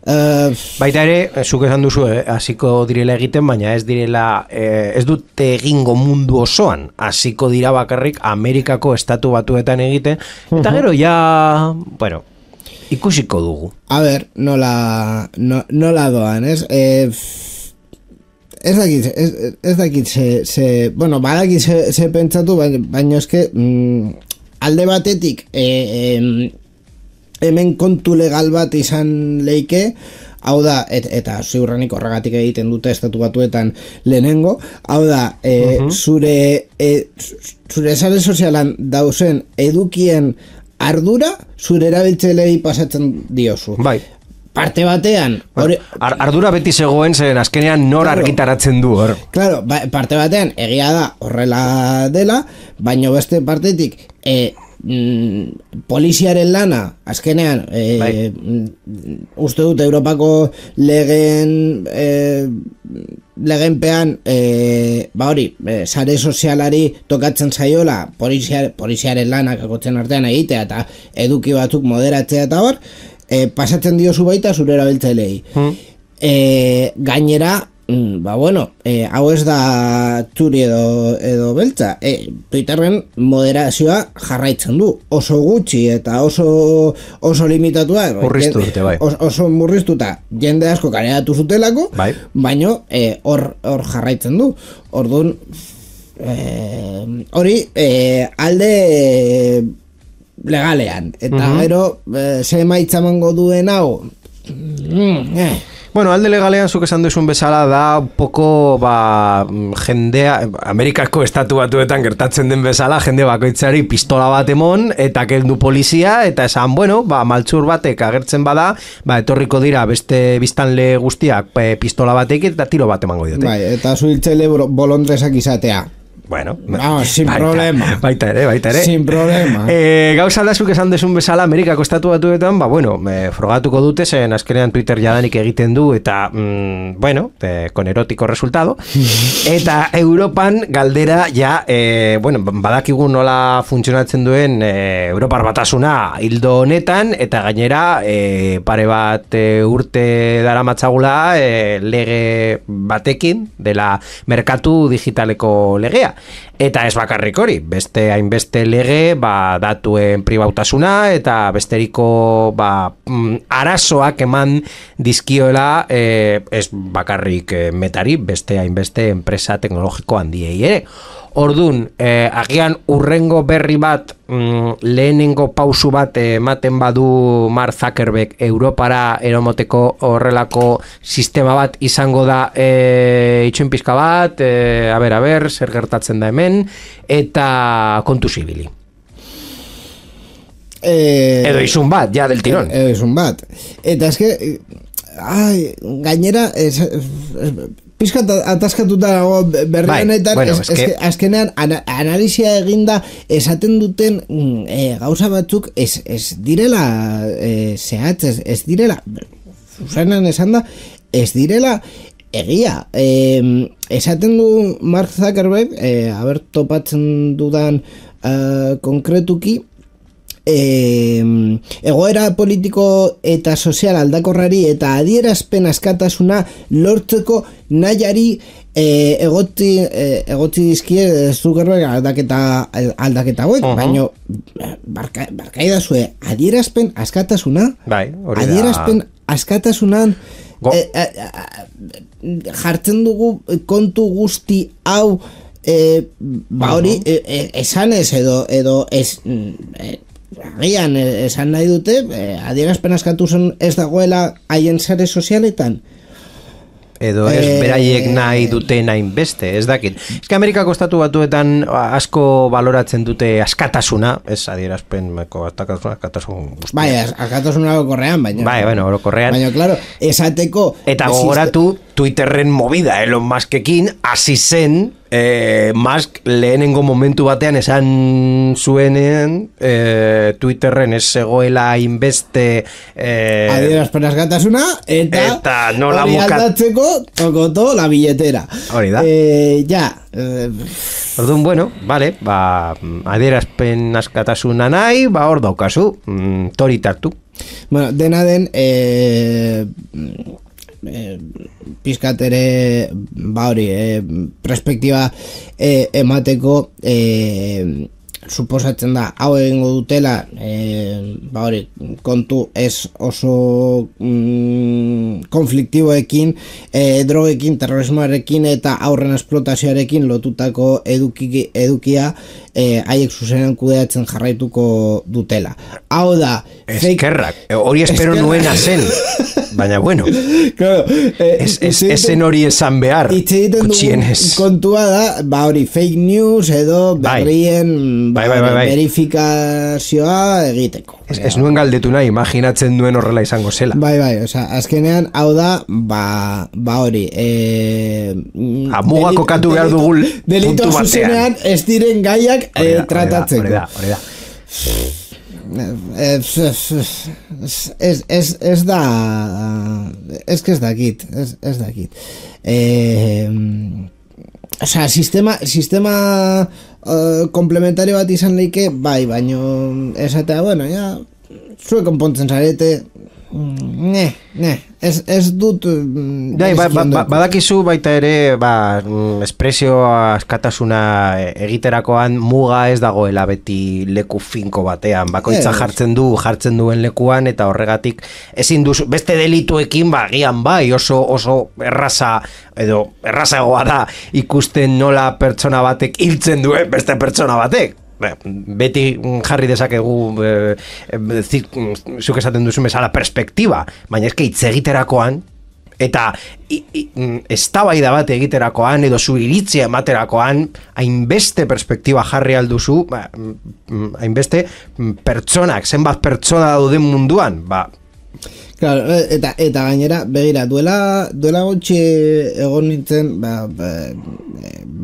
[SPEAKER 2] Uh,
[SPEAKER 4] Baita ere, zuk esan duzu, eh, hasiko direla egiten, baina ez direla, eh, ez dute egingo mundu osoan, hasiko dira bakarrik Amerikako estatu batuetan egiten, eta gero ja, bueno, ikusiko dugu.
[SPEAKER 2] A ber, nola, no, nola doan, ez? Eh, ez dakit, ez, ez dakit ze, ze, bueno, badakit ze, ze pentsatu, baina, baina eske mm, alde batetik e, e, hemen kontu legal bat izan leike, hau da, et, eta ziurrenik horregatik egiten dute estatu batuetan lehenengo, hau da, e, uh-huh. zure e, zure sare sozialan dauzen edukien ardura zure erabiltzailei pasatzen diozu.
[SPEAKER 4] Bai.
[SPEAKER 2] Parte batean
[SPEAKER 4] ore... Ar, ardura beti zegoen zen azkenean nor claro, argitaratzen du hor.
[SPEAKER 2] Claro, ba, parte batean egia da horrela dela, baina beste partetik e, mm, poliziaren lana azkenean e, bai. mm, uste dut Europako legen e, legenpean e, ba hori, e, sare sozialari tokatzen zaiola poliziar, poliziaren lanak akotzen artean egitea eta eduki batzuk moderatzea eta hor E, pasatzen diozu baita zure erabiltzailei. Hmm. E, gainera, ba bueno, e, hau ez da txuri edo, edo beltza. E, Twitterren moderazioa jarraitzen du. Oso gutxi eta oso oso limitatua.
[SPEAKER 4] Murriztu dute, bai.
[SPEAKER 2] Oso, oso murriztuta jende asko kareatu zutelako, bai. Baino hor e, hor jarraitzen du. Orduan, hori e, e, alde... E, legalean, eta uh-huh. gero eh, ze emaitza emango duen hau mm, eh.
[SPEAKER 4] Bueno, alde legalean zuk esan duzun bezala da poko ba, jendea Amerikako estatu batuetan gertatzen den bezala jende bakoitzari pistola bat emon eta kendu polizia eta esan, bueno, ba, maltzur batek agertzen bada, ba, etorriko dira beste biztanle guztiak e, pistola batek eta tiro bat emango diote.
[SPEAKER 2] Bai, eta zuhiltzaile bolondresak izatea.
[SPEAKER 4] Bueno,
[SPEAKER 2] no, sin
[SPEAKER 4] baita,
[SPEAKER 2] problema.
[SPEAKER 4] Baita ere, baita ere.
[SPEAKER 2] Sin problema.
[SPEAKER 4] Eh, gauza da zuk esan desun bezala Amerikako estatu batuetan, ba bueno, eh, frogatuko dute zen azkenean Twitter jadanik egiten du eta mm, bueno, eh, con erótico resultado. Eta Europan galdera ja, eh, bueno, badakigu nola funtzionatzen duen eh, Europar batasuna hildo honetan eta gainera eh, pare bat eh, urte daramatzagula eh, lege batekin dela merkatu digitaleko legea. Eta ez bakarrik hori, beste hainbeste lege, ba, datuen pribautasuna eta besteriko ba, arazoak eman dizkioela eh, ez bakarrik eh, metari, beste hainbeste enpresa teknologiko handiei ere. Ordun, eh, agian urrengo berri bat, mm, lehenengo pausu bat ematen badu Mark Zuckerberg Europara eromoteko horrelako sistema bat izango da eh, itxoin pizka bat, eh, a ber, a ber, zer gertatzen da hemen, eta kontu zibili. Eh, edo izun bat, ja del tirón.
[SPEAKER 2] Edo izun bat. Eta eske, ai, gainera, es, es, pizkat ataskatuta dago berrionetan, bai, bueno, es, es, azkenean ana, analizia eginda esaten duten e, gauza batzuk ez, ez direla e, zehatz, ez, ez direla zuzenan esan da, ez direla egia. E, esaten du Mark Zuckerberg, e, haber topatzen dudan uh, konkretuki, E, egoera politiko eta sozial aldakorrari eta adierazpen askatasuna lortzeko nahiari e, egotzi, e, egotzi dizkie Zuckerberg aldaketa aldaketa hauek, uh-huh. baino barka, barkaidazue adierazpen askatasuna
[SPEAKER 4] bai, hori da.
[SPEAKER 2] Adierazpen askatasunan e, e, e, jartzen dugu kontu guzti hau e, ba hori uh-huh. e, e, esanez edo edo ez e, agian esan nahi dute eh, adierazpen askatu zen ez dagoela haien sare sozialetan
[SPEAKER 4] edo ez eh, beraiek nahi duten hainbeste, ez dakit. Ez que Amerikako estatu batuetan asko baloratzen dute askatasuna, ez adierazpen askatasuna, askatasun guztia.
[SPEAKER 2] Bai, askatasuna orokorrean, baina.
[SPEAKER 4] Bai, bueno, orokorrean.
[SPEAKER 2] Baina, claro, esateko...
[SPEAKER 4] Eta gogoratu Twitterren movida Elon Muskekin hasi zen eh, Musk lehenengo momentu batean esan zuenen eh, Twitterren ez zegoela inbeste eh,
[SPEAKER 2] adierazpen askatasuna eta,
[SPEAKER 4] eta nola
[SPEAKER 2] hori aldatzeko tokoto la billetera.
[SPEAKER 4] Hori da.
[SPEAKER 2] Eh, ja. Eh,
[SPEAKER 4] Orduan, bueno, vale, ba, adierazpen askatasuna nahi, ba, hor daukazu, mm, tori tartu.
[SPEAKER 2] Bueno, dena den, eh, eh, pizkat ere ba hori, eh, perspektiba eh, emateko eh, suposatzen da hau egingo dutela e, ba hori kontu ez oso mm, konfliktiboekin, e, drogekin, terrorismoarekin eta aurren esplotazioarekin lotutako eduki, edukia e, haiek zuzenean kudeatzen jarraituko dutela. Hau da
[SPEAKER 4] eskerrak, hori espero nuena zen. Baina bueno,
[SPEAKER 2] claro, eh,
[SPEAKER 4] ez, ez, ezen hori esan behar
[SPEAKER 2] kutxienez. Kontua da, ba hori fake news edo berrien
[SPEAKER 4] bai, bai, bai, bai.
[SPEAKER 2] verifikazioa egiteko.
[SPEAKER 4] Ez, ez nuen galdetu nahi, imaginatzen duen horrela izango zela.
[SPEAKER 2] Bai, bai, oza, azkenean hau da, ba, ba hori e,
[SPEAKER 4] amuga kokatu behar dugu
[SPEAKER 2] delito
[SPEAKER 4] puntu batean.
[SPEAKER 2] Zuzenean ez diren gaiak e, tratatzeko.
[SPEAKER 4] Hori da, hori da.
[SPEAKER 2] Ez, ez, ez, ez da ez que ez dakit ez, ez dakit eh, o sea, sistema sistema uh, komplementario bat izan leike bai, baino esatea, bueno, ja zuek konpontzen zarete ne, ne ez, ez dut
[SPEAKER 4] Dai, ba, ba, ba, badakizu baita ere ba, espresio askatasuna egiterakoan muga ez dagoela beti leku finko batean, bakoitza jartzen du jartzen duen lekuan eta horregatik ezin duzu, beste delituekin ba, gian bai, oso, oso erraza edo errazagoa da ikusten nola pertsona batek hiltzen duen beste pertsona batek. Beti jarri dezakegu eh, eh, zuk esaten duzu bezala perspektiba, baina eske hitz egiterakoan eta eztabaida bat egiterakoan edo zu iritzia ematerakoan hainbeste perspektiba jarri alduzu, ba, hainbeste pertsonak, zenbat pertsona dauden munduan, ba
[SPEAKER 2] Claro, eta eta gainera begira duela duela gutxi egon nintzen ba, ba,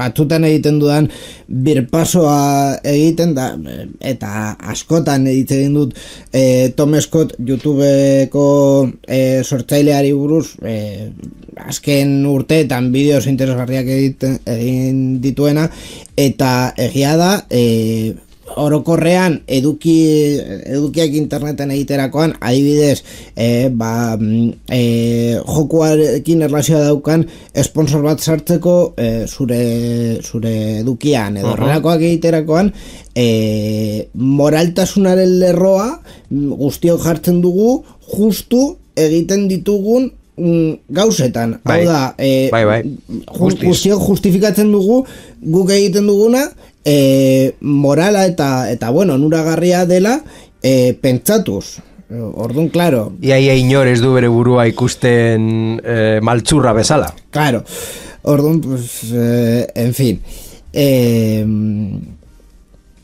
[SPEAKER 2] batzutan egiten dudan birpasoa egiten da eta askotan egiten dut e, Tom Scott YouTubeko e, sortzaileari buruz e, azken urteetan bideos interesgarriak egiten egin dituena eta egia da e, orokorrean eduki edukiak interneten egiterakoan adibidez eh, ba, eh, jokuarekin erlazioa daukan sponsor bat sartzeko eh, zure, zure edukian edo horrelakoak uh-huh. egiterakoan eh, moraltasunaren lerroa guztiok jartzen dugu justu egiten ditugun gauzetan,
[SPEAKER 4] bai,
[SPEAKER 2] hau da eh,
[SPEAKER 4] bai, bai.
[SPEAKER 2] guztiok justifikatzen dugu guk egiten duguna E, morala eta eta bueno, onuragarria dela e, pentsatuz. Orduan, claro.
[SPEAKER 4] Ia ia inor ez du bere burua ikusten e, maltzurra bezala.
[SPEAKER 2] Claro. Orduan, pues, eh, en fin. Eh,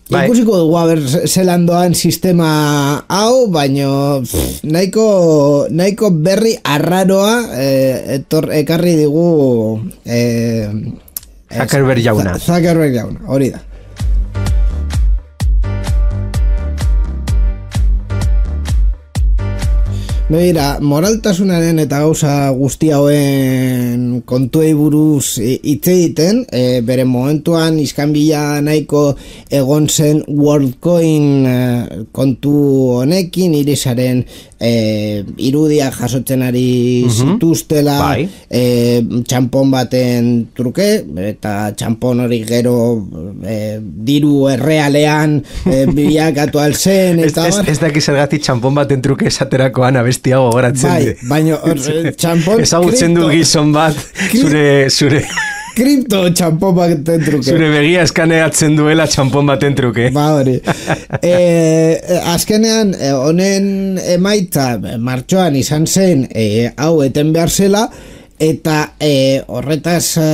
[SPEAKER 2] bai. Ikusiko dugu haber zelan doan sistema hau, baino pff, nahiko, nahiko berri arraroa eh, etor, ekarri digu eh,
[SPEAKER 4] Zuckerberg jauna.
[SPEAKER 2] Zuckerberg jauna, hori da. Begira, moraltasunaren eta gauza guzti hauen kontuei buruz hitz egiten, e, bere momentuan iskanbila nahiko egon zen WorldCoin e, kontu honekin, irisaren e, irudia jasotzen ari zituztela,
[SPEAKER 4] bai.
[SPEAKER 2] e, txampon baten truke, eta txampon hori gero e, diru errealean e, bilakatu alzen, eta
[SPEAKER 4] ez, ez, ez daki zergatik txampon baten truke esaterakoan abestiago goratzen
[SPEAKER 2] bai,
[SPEAKER 4] di.
[SPEAKER 2] Baina txampon
[SPEAKER 4] ezagutzen du gizon bat zure zure
[SPEAKER 2] kripto txampon baten truke.
[SPEAKER 4] Zure begia eskaneatzen duela txampon baten truke.
[SPEAKER 2] Ba hori. E, azkenean honen emaitza martxoan izan zen e, hau eten behar zela eta e, horretaz e,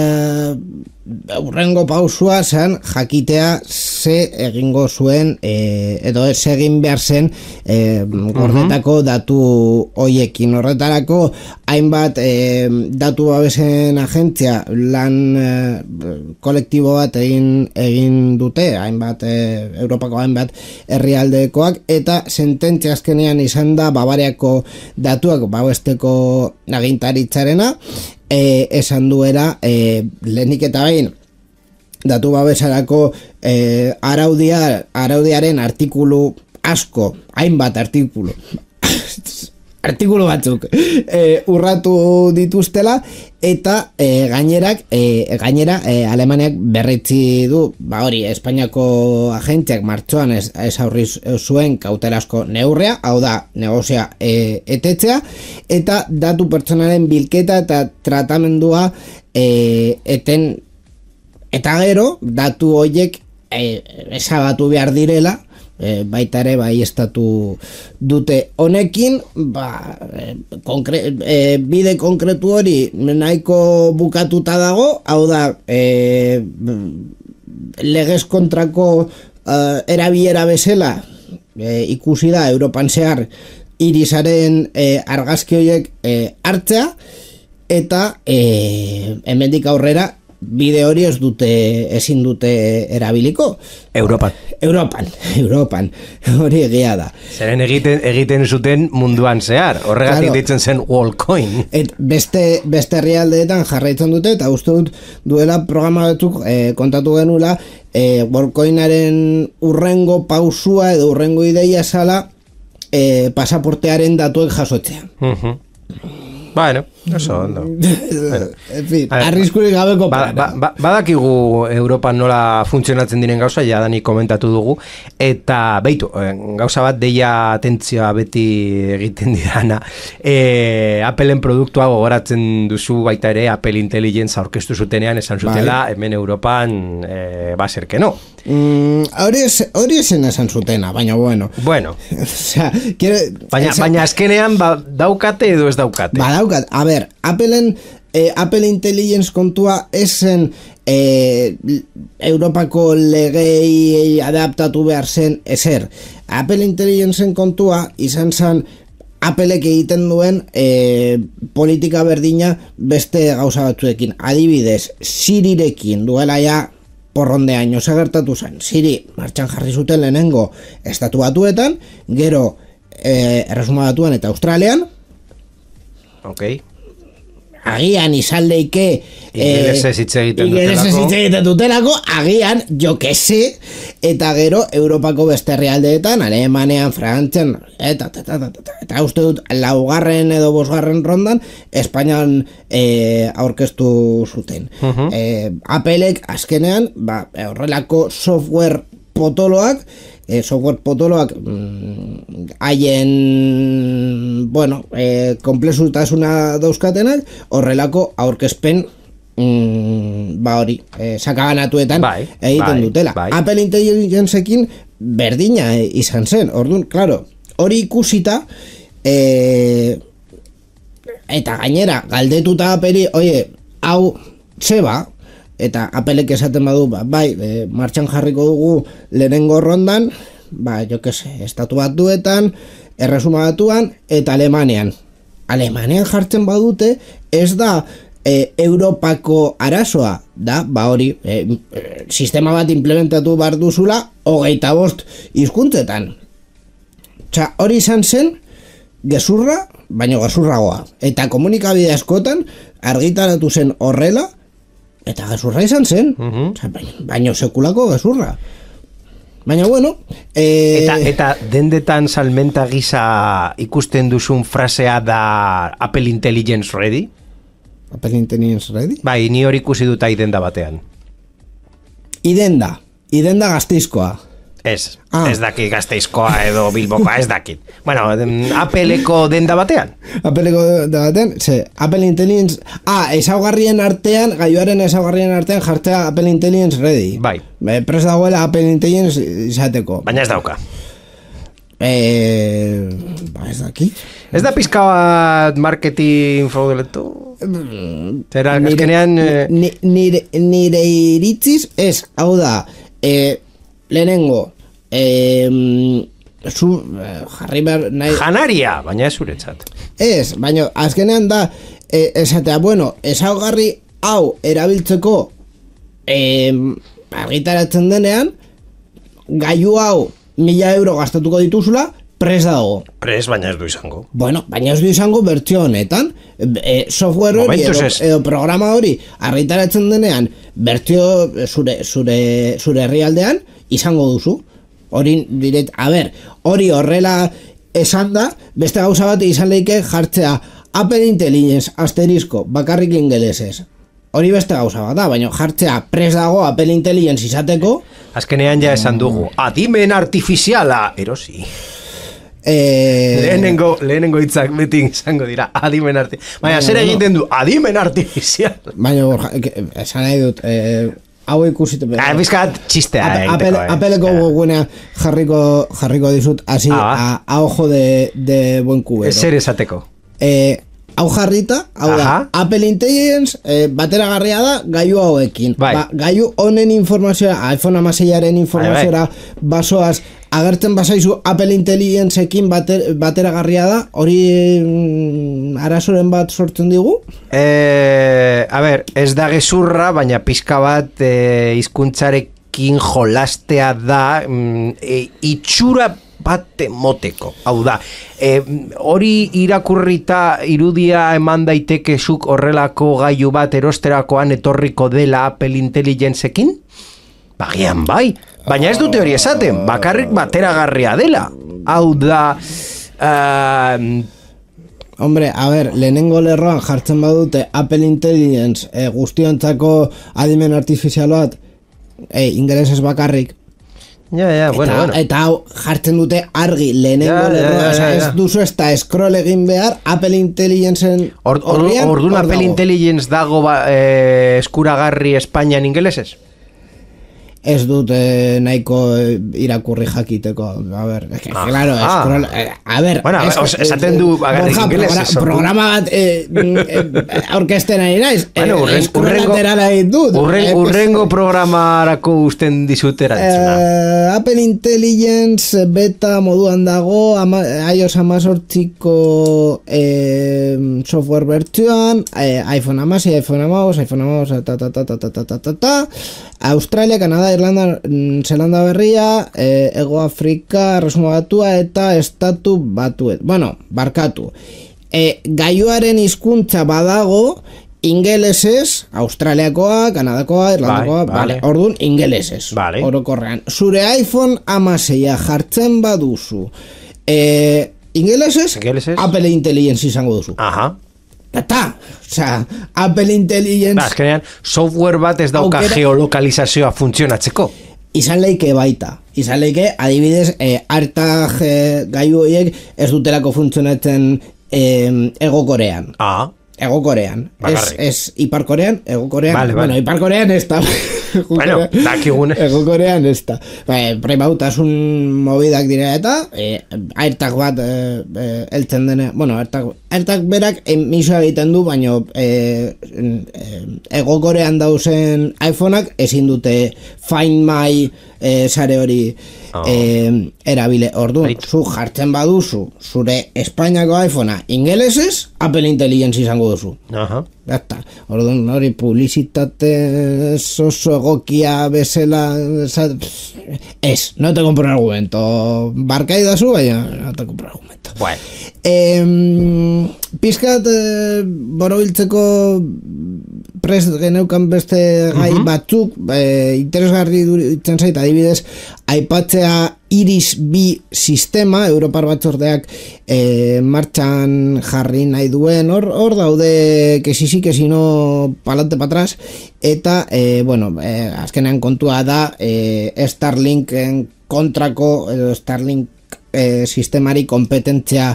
[SPEAKER 2] urrengo pausua zen jakitea ze egingo zuen e, edo ez egin behar zen e, gordetako uh-huh. datu hoiekin. Horretarako hainbat e, datu babesen agentzia lan e, kolektibo bat egin, egin dute, hainbat e, Europako hainbat herrialdekoak, eta sententzia azkenean izan da Bavariako datuak babesteko agintaritzarena, e, esan duera e, lehenik eta behin datu babesarako e, araudia, araudiaren artikulu asko, hainbat artikulu artikulu batzuk e, urratu dituztela eta e, gainerak e, gainera e, Alemaniak berritzi du, ba hori, Espainiako agentziak martxoan ez, ez aurri zuen kautelasko neurrea, hau da, negozia e, etetzea, eta datu pertsonalen bilketa eta tratamendua e, eten, eta gero, datu horiek e, ezabatu behar direla, E, baita ere bai estatu dute honekin, ba, e, konkre, e, bide konkretu hori nahiko bukatuta dago, hau da e, legez kontrako e, erabilera bezala e, ikusi da Europan zehar irisaren e, argazki horiek e, hartzea, eta e, hemendik aurrera bide hori ez dute, ezin dute erabiliko.
[SPEAKER 4] Europan.
[SPEAKER 2] Europan, Europan, hori egia da.
[SPEAKER 4] Zeren egiten, egiten zuten munduan zehar, horregatik claro. Ditzen zen Wallcoin.
[SPEAKER 2] Et beste, beste herrialdeetan jarraitzen dute, eta uste dut duela programa batzuk eh, kontatu genula, eh, Wallcoinaren urrengo pausua edo urrengo ideia zala eh, pasaportearen datuek jasotzea.
[SPEAKER 4] Uh-huh. Bueno, oso ondo.
[SPEAKER 2] Bueno, en fin, arriskurik gabeko
[SPEAKER 4] ba, ba, ba, badakigu Europan nola funtzionatzen diren gauza, ja dani komentatu dugu, eta beitu, gauza bat deia atentzioa beti egiten didana, e, Appleen produktua gogoratzen duzu baita ere, Apple Intelligence aurkeztu zutenean esan zutela, bai. Hemen Europan e, baser que no.
[SPEAKER 2] Mm, hori mm, esen esan zutena, baina bueno.
[SPEAKER 4] Bueno.
[SPEAKER 2] O sea, quiere,
[SPEAKER 4] baina,
[SPEAKER 2] esa...
[SPEAKER 4] baina azkenean ba, daukate edo ez daukate.
[SPEAKER 2] Ba daukat, a ber, Appleen eh, Apple Intelligence kontua esen eh, Europako legei adaptatu behar zen ezer. Apple Intelligenceen kontua izan zen Applek egiten duen eh, politika berdina beste gauza batzuekin. Adibidez, Sirirekin duela ja porronde año gertatu zen. Siri martxan jarri zuten lehenengo estatu batuetan, gero eh, erresuma batuan eta Australian.
[SPEAKER 4] Ok.
[SPEAKER 2] Agian izan leike
[SPEAKER 4] ingelesez hitz egiten
[SPEAKER 2] egiten dutelako, agian jo que se, eta gero Europako beste herrialdeetan, Alemanean, Frantzian, eta eta, eta, eta, eta uste dut laugarren edo bosgarren rondan Espainian e, aurkeztu zuten. Uh-huh. e, Applek azkenean ba, horrelako software potoloak E, software potoloak haien mm, bueno, e, komplexutasuna dauzkatenak horrelako aurkezpen mm, ba hori e, sakabanatuetan bai, egiten bai, dutela bai. Apple Intelligenceekin berdina e, izan zen, orduan, claro, hori ikusita e, eta gainera galdetuta Appleri, oie, hau zeba, eta Applek esaten badu, ba, bai, e, martxan jarriko dugu lehenengo rondan, ba, jo que se, estatu batuetan, erresuma batuan, eta Alemanian. Alemanian jartzen badute, ez da e, Europako arazoa, da, ba hori, e, e, sistema bat implementatu behar duzula, hogeita bost hizkuntzetan. Txa, hori izan zen, gezurra, baino gezurragoa. Eta komunikabide askotan, argitaratu zen horrela, eta gezurra izan zen, uh-huh. baino, baino sekulako gezurra. Baina bueno... Eh...
[SPEAKER 4] Eta, eta dendetan salmenta gisa ikusten duzun frasea da Apple Intelligence Ready?
[SPEAKER 2] Apple Intelligence Ready?
[SPEAKER 4] Bai, ni hori ikusi dut idenda batean.
[SPEAKER 2] Idenda, idenda Gasteizkoa.
[SPEAKER 4] Ez, ah. ez dakit Gasteizkoa edo Bilbokoa, ez dakit. Bueno, Appleko denda batean.
[SPEAKER 2] Appleko denda batean, ze, Apple Intelligence... Ah, ezaugarrien artean, gaioaren ezaugarrien artean jartzea Apple Intelligence Ready.
[SPEAKER 4] Bai.
[SPEAKER 2] E, Prez dagoela Apple Intelligence izateko.
[SPEAKER 4] Baina ez dauka.
[SPEAKER 2] Eh, ba, ez dakit.
[SPEAKER 4] Ez da pizka bat marketing frauduleto? Zera, azkenean...
[SPEAKER 2] Nire, nire, nire iritziz, ez, hau da... Eh, lehenengo eh, zu, eh, jarri behar nahi...
[SPEAKER 4] Janaria, baina ez zuretzat.
[SPEAKER 2] Ez, baina azkenean da eh, esatea, bueno, ezaugarri hau erabiltzeko eh, argitaratzen denean gailu hau mila euro gastatuko dituzula, pres dago.
[SPEAKER 4] Pres, baina ez du izango.
[SPEAKER 2] Bueno, baina ez du izango bertsio honetan. E, software hori edo, edo programa hori argitaratzen denean bertsio zure, zure, zure herrialdean izango duzu. Hori diret, a ber, hori horrela esan da, beste gauza bat izan leike jartzea Apple Intelligence, asterisko, bakarrik ingelesez. Hori beste gauza bat da, baina jartzea pres dago Apple Intelligence izateko.
[SPEAKER 4] Azkenean ja esan dugu, adimen artifiziala, erosi.
[SPEAKER 2] Eh,
[SPEAKER 4] lehenengo, lehenengo hitzak beti izango dira, adimen artifiziala. Baina, zer egiten du, adimen artifiziala.
[SPEAKER 2] Baina, esan nahi dut, eh, hau ikusitu.
[SPEAKER 4] Ah, bizkat txistea
[SPEAKER 2] egiteko.
[SPEAKER 4] Eh.
[SPEAKER 2] Apeleko gogunea jarriko, jarriko dizut, así, ah, a, a ojo de, de buen cubero.
[SPEAKER 4] Zer esateko.
[SPEAKER 2] Eh, hau jarrita, hau da, Apple Intelligence eh, bateragarria da gaiu hauekin.
[SPEAKER 4] Bai.
[SPEAKER 2] Ba, gaiu honen informazioa, iPhone hamaseiaren informazioa basoaz, agertzen bazaizu Apple Intelligenceekin bater, bateragarria da, hori mm, arazoren bat sortzen digu?
[SPEAKER 4] Eh, a ber, ez da gezurra, baina pizka bat eh, hizkuntzarekin jolastea da, mm, eh, itxura bat moteko, hau da, e, hori irakurrita irudia eman daitekezuk horrelako gailu bat erosterakoan etorriko dela Apple Intelligenceekin? Bagian bai, baina ez dute hori esaten, bakarrik bateragarria dela, hau da... Uh,
[SPEAKER 2] Hombre, a ver, lehenengo lerroan jartzen badute Apple Intelligence eh, guztiontzako adimen artifizial bat, eh, ingelesez bakarrik.
[SPEAKER 4] Ja, ja,
[SPEAKER 2] eta,
[SPEAKER 4] bueno, bueno.
[SPEAKER 2] Eta hau jartzen dute argi lehenengo
[SPEAKER 4] ja,
[SPEAKER 2] lerroa,
[SPEAKER 4] ja, ja, ja.
[SPEAKER 2] ez duzu ez da scroll egin behar Apple Intelligenceen horrian.
[SPEAKER 4] Or, Orduan Apple
[SPEAKER 2] dago.
[SPEAKER 4] Intelligence dago ba, eh, eskuragarri Espainian ingelesez?
[SPEAKER 2] Ez dut eh, nahiko eh, irakurri jakiteko. A ver, es que, ah, claro, ah. scroll, eh, a ver,
[SPEAKER 4] bueno, es, os, esaten du bagarrik ingelesez.
[SPEAKER 2] Programa, programa bat eh, eh, aurkezten ari naiz.
[SPEAKER 4] Bueno, urren,
[SPEAKER 2] eh,
[SPEAKER 4] urrengo,
[SPEAKER 2] dut,
[SPEAKER 4] urren,
[SPEAKER 2] eh,
[SPEAKER 4] urrengo programarako usten dizutera entzuna.
[SPEAKER 2] Eh, Apple Intelligence beta moduan dago, ama, iOS amazortziko eh, software bertsioan, eh, iPhone hamasei, iPhone hamabost, iPhone hamabost, ta ta ta ta ta ta ta ta ta Australia, Kanada, Irlanda, Zelanda berria, eh, Ego Afrika, Resuma Batua eta Estatu Batuet. Bueno, barkatu. Eh, gaiuaren hizkuntza badago ingelesez, Australiakoa, Kanadakoa, Irlandakoa,
[SPEAKER 4] vale,
[SPEAKER 2] vale.
[SPEAKER 4] vale.
[SPEAKER 2] Orduan ingelesez.
[SPEAKER 4] Vale.
[SPEAKER 2] Orokorrean. Zure iPhone hamaseia jartzen baduzu. Eh, ingelesez,
[SPEAKER 4] ingelesez,
[SPEAKER 2] Apple Intelligence izango duzu.
[SPEAKER 4] Aha.
[SPEAKER 2] Eta, osea, Apple Intelligence...
[SPEAKER 4] Ba, azkenean, software bat ez dauka aukera, geolokalizazioa funtzionatzeko.
[SPEAKER 2] Izan leike baita. Izan leike, adibidez, eh, hartag eh, gaiu horiek ez dutelako funtzionatzen eh, Ego Korean.
[SPEAKER 4] Ah.
[SPEAKER 2] Ego Korean. Ez, ez Ipar Korean, Ego Korean.
[SPEAKER 4] Vale,
[SPEAKER 2] bueno,
[SPEAKER 4] vale.
[SPEAKER 2] Ipar Korean ez da.
[SPEAKER 4] Bueno, dakigune.
[SPEAKER 2] Ego Korean ez da. Premautasun mobidak dira eta eh, airtag bat eh, eh, eltzen dene. Bueno, airtag, airtag berak emisua egiten du, baina eh, eh, Ego Korean dauzen iPhoneak ezin dute Find My eh, sare hori oh. eh, erabile. Orduan, zu jartzen baduzu zure Espainiako iPhonea ingelesez, Apple Intelligence izango duzu.
[SPEAKER 4] Aha.
[SPEAKER 2] Eta, orduan hori publizitate oso egokia bezala ez, no te compro argumento barkai dazu, baina no te compro argumento.
[SPEAKER 4] Bueno.
[SPEAKER 2] Eh, pizkat eh, borobiltzeko prest geneukan beste gai uh-huh. batzuk eh, interesgarri duritzen zait, adibidez aipatzea Iris B sistema, Europar batzordeak eh, martxan jarri nahi duen, hor, hor daude que si si, que si no palante pa atrás, eta eh, bueno, eh, azkenean kontua da eh, Starlinken kontrako edo Starlink eh, sistemari kompetentzia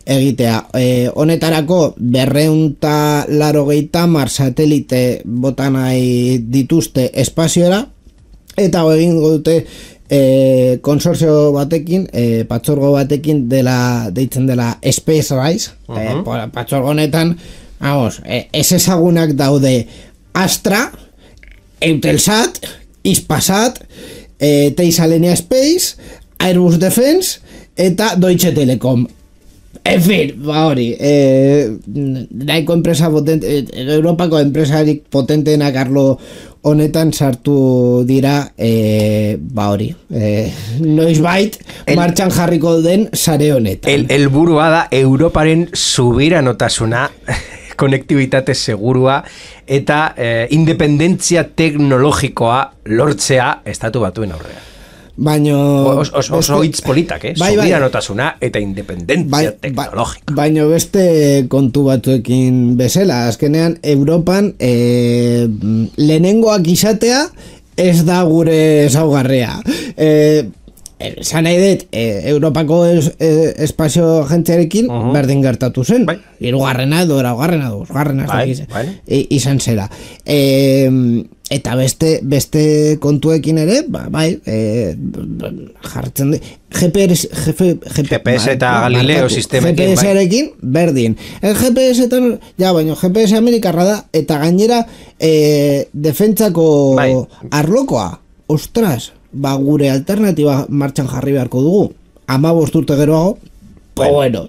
[SPEAKER 2] egitea. Eh, honetarako berreunta laro geita mar satelite botanai dituzte espazioera, eta egingo dute Eh, konsortzio batekin, eh, patxorgo batekin dela, deitzen dela Space Rise, uh-huh. eh, patxorgo honetan, vamos, eh, ez ezagunak daude Astra, Eutelsat, Hispasat, eh, Teisalenia Space, Airbus Defense, eta Deutsche Telekom. En fin, ba hori, eh, nahiko enpresa potente, eh, Europako enpresarik potenteenak arlo honetan sartu dira, eh, ba hori, eh, noizbait martxan jarriko den sare honetan.
[SPEAKER 4] El, el burua da Europaren subiranotasuna, konektibitate segurua eta eh, independentzia teknologikoa lortzea estatu batuen aurrean.
[SPEAKER 2] Baino...
[SPEAKER 4] Os, os, oso hitz politak, eh?
[SPEAKER 2] Bai, bai.
[SPEAKER 4] Subiranotasuna eta independentzia
[SPEAKER 2] bai,
[SPEAKER 4] teknologika.
[SPEAKER 2] Baino beste kontu batzuekin bezala, azkenean Europan e, lehenengoak izatea ez da gure ezaugarria. E, Esan nahi dut, e, Europako es, e, espazio agentziarekin uh-huh. berdin gertatu zen. Bai. Irugarrena edo, eraugarrena edo, osgarrena bai, bai. e, izan zera. E, eta beste beste kontuekin ere, ba, bai, e, jartzen dut, G P S, G P S,
[SPEAKER 4] G P S eta ba, Galileo sistemekin.
[SPEAKER 2] G P S-arekin, bai. Berdin. El G P S-etan, ja, baino, G P S Amerikarra da, eta gainera, e, defentsako bai. Arlokoa, ostras, ba gure alternatiba martxan jarri beharko dugu. hamabost urte geroago, bueno, bueno.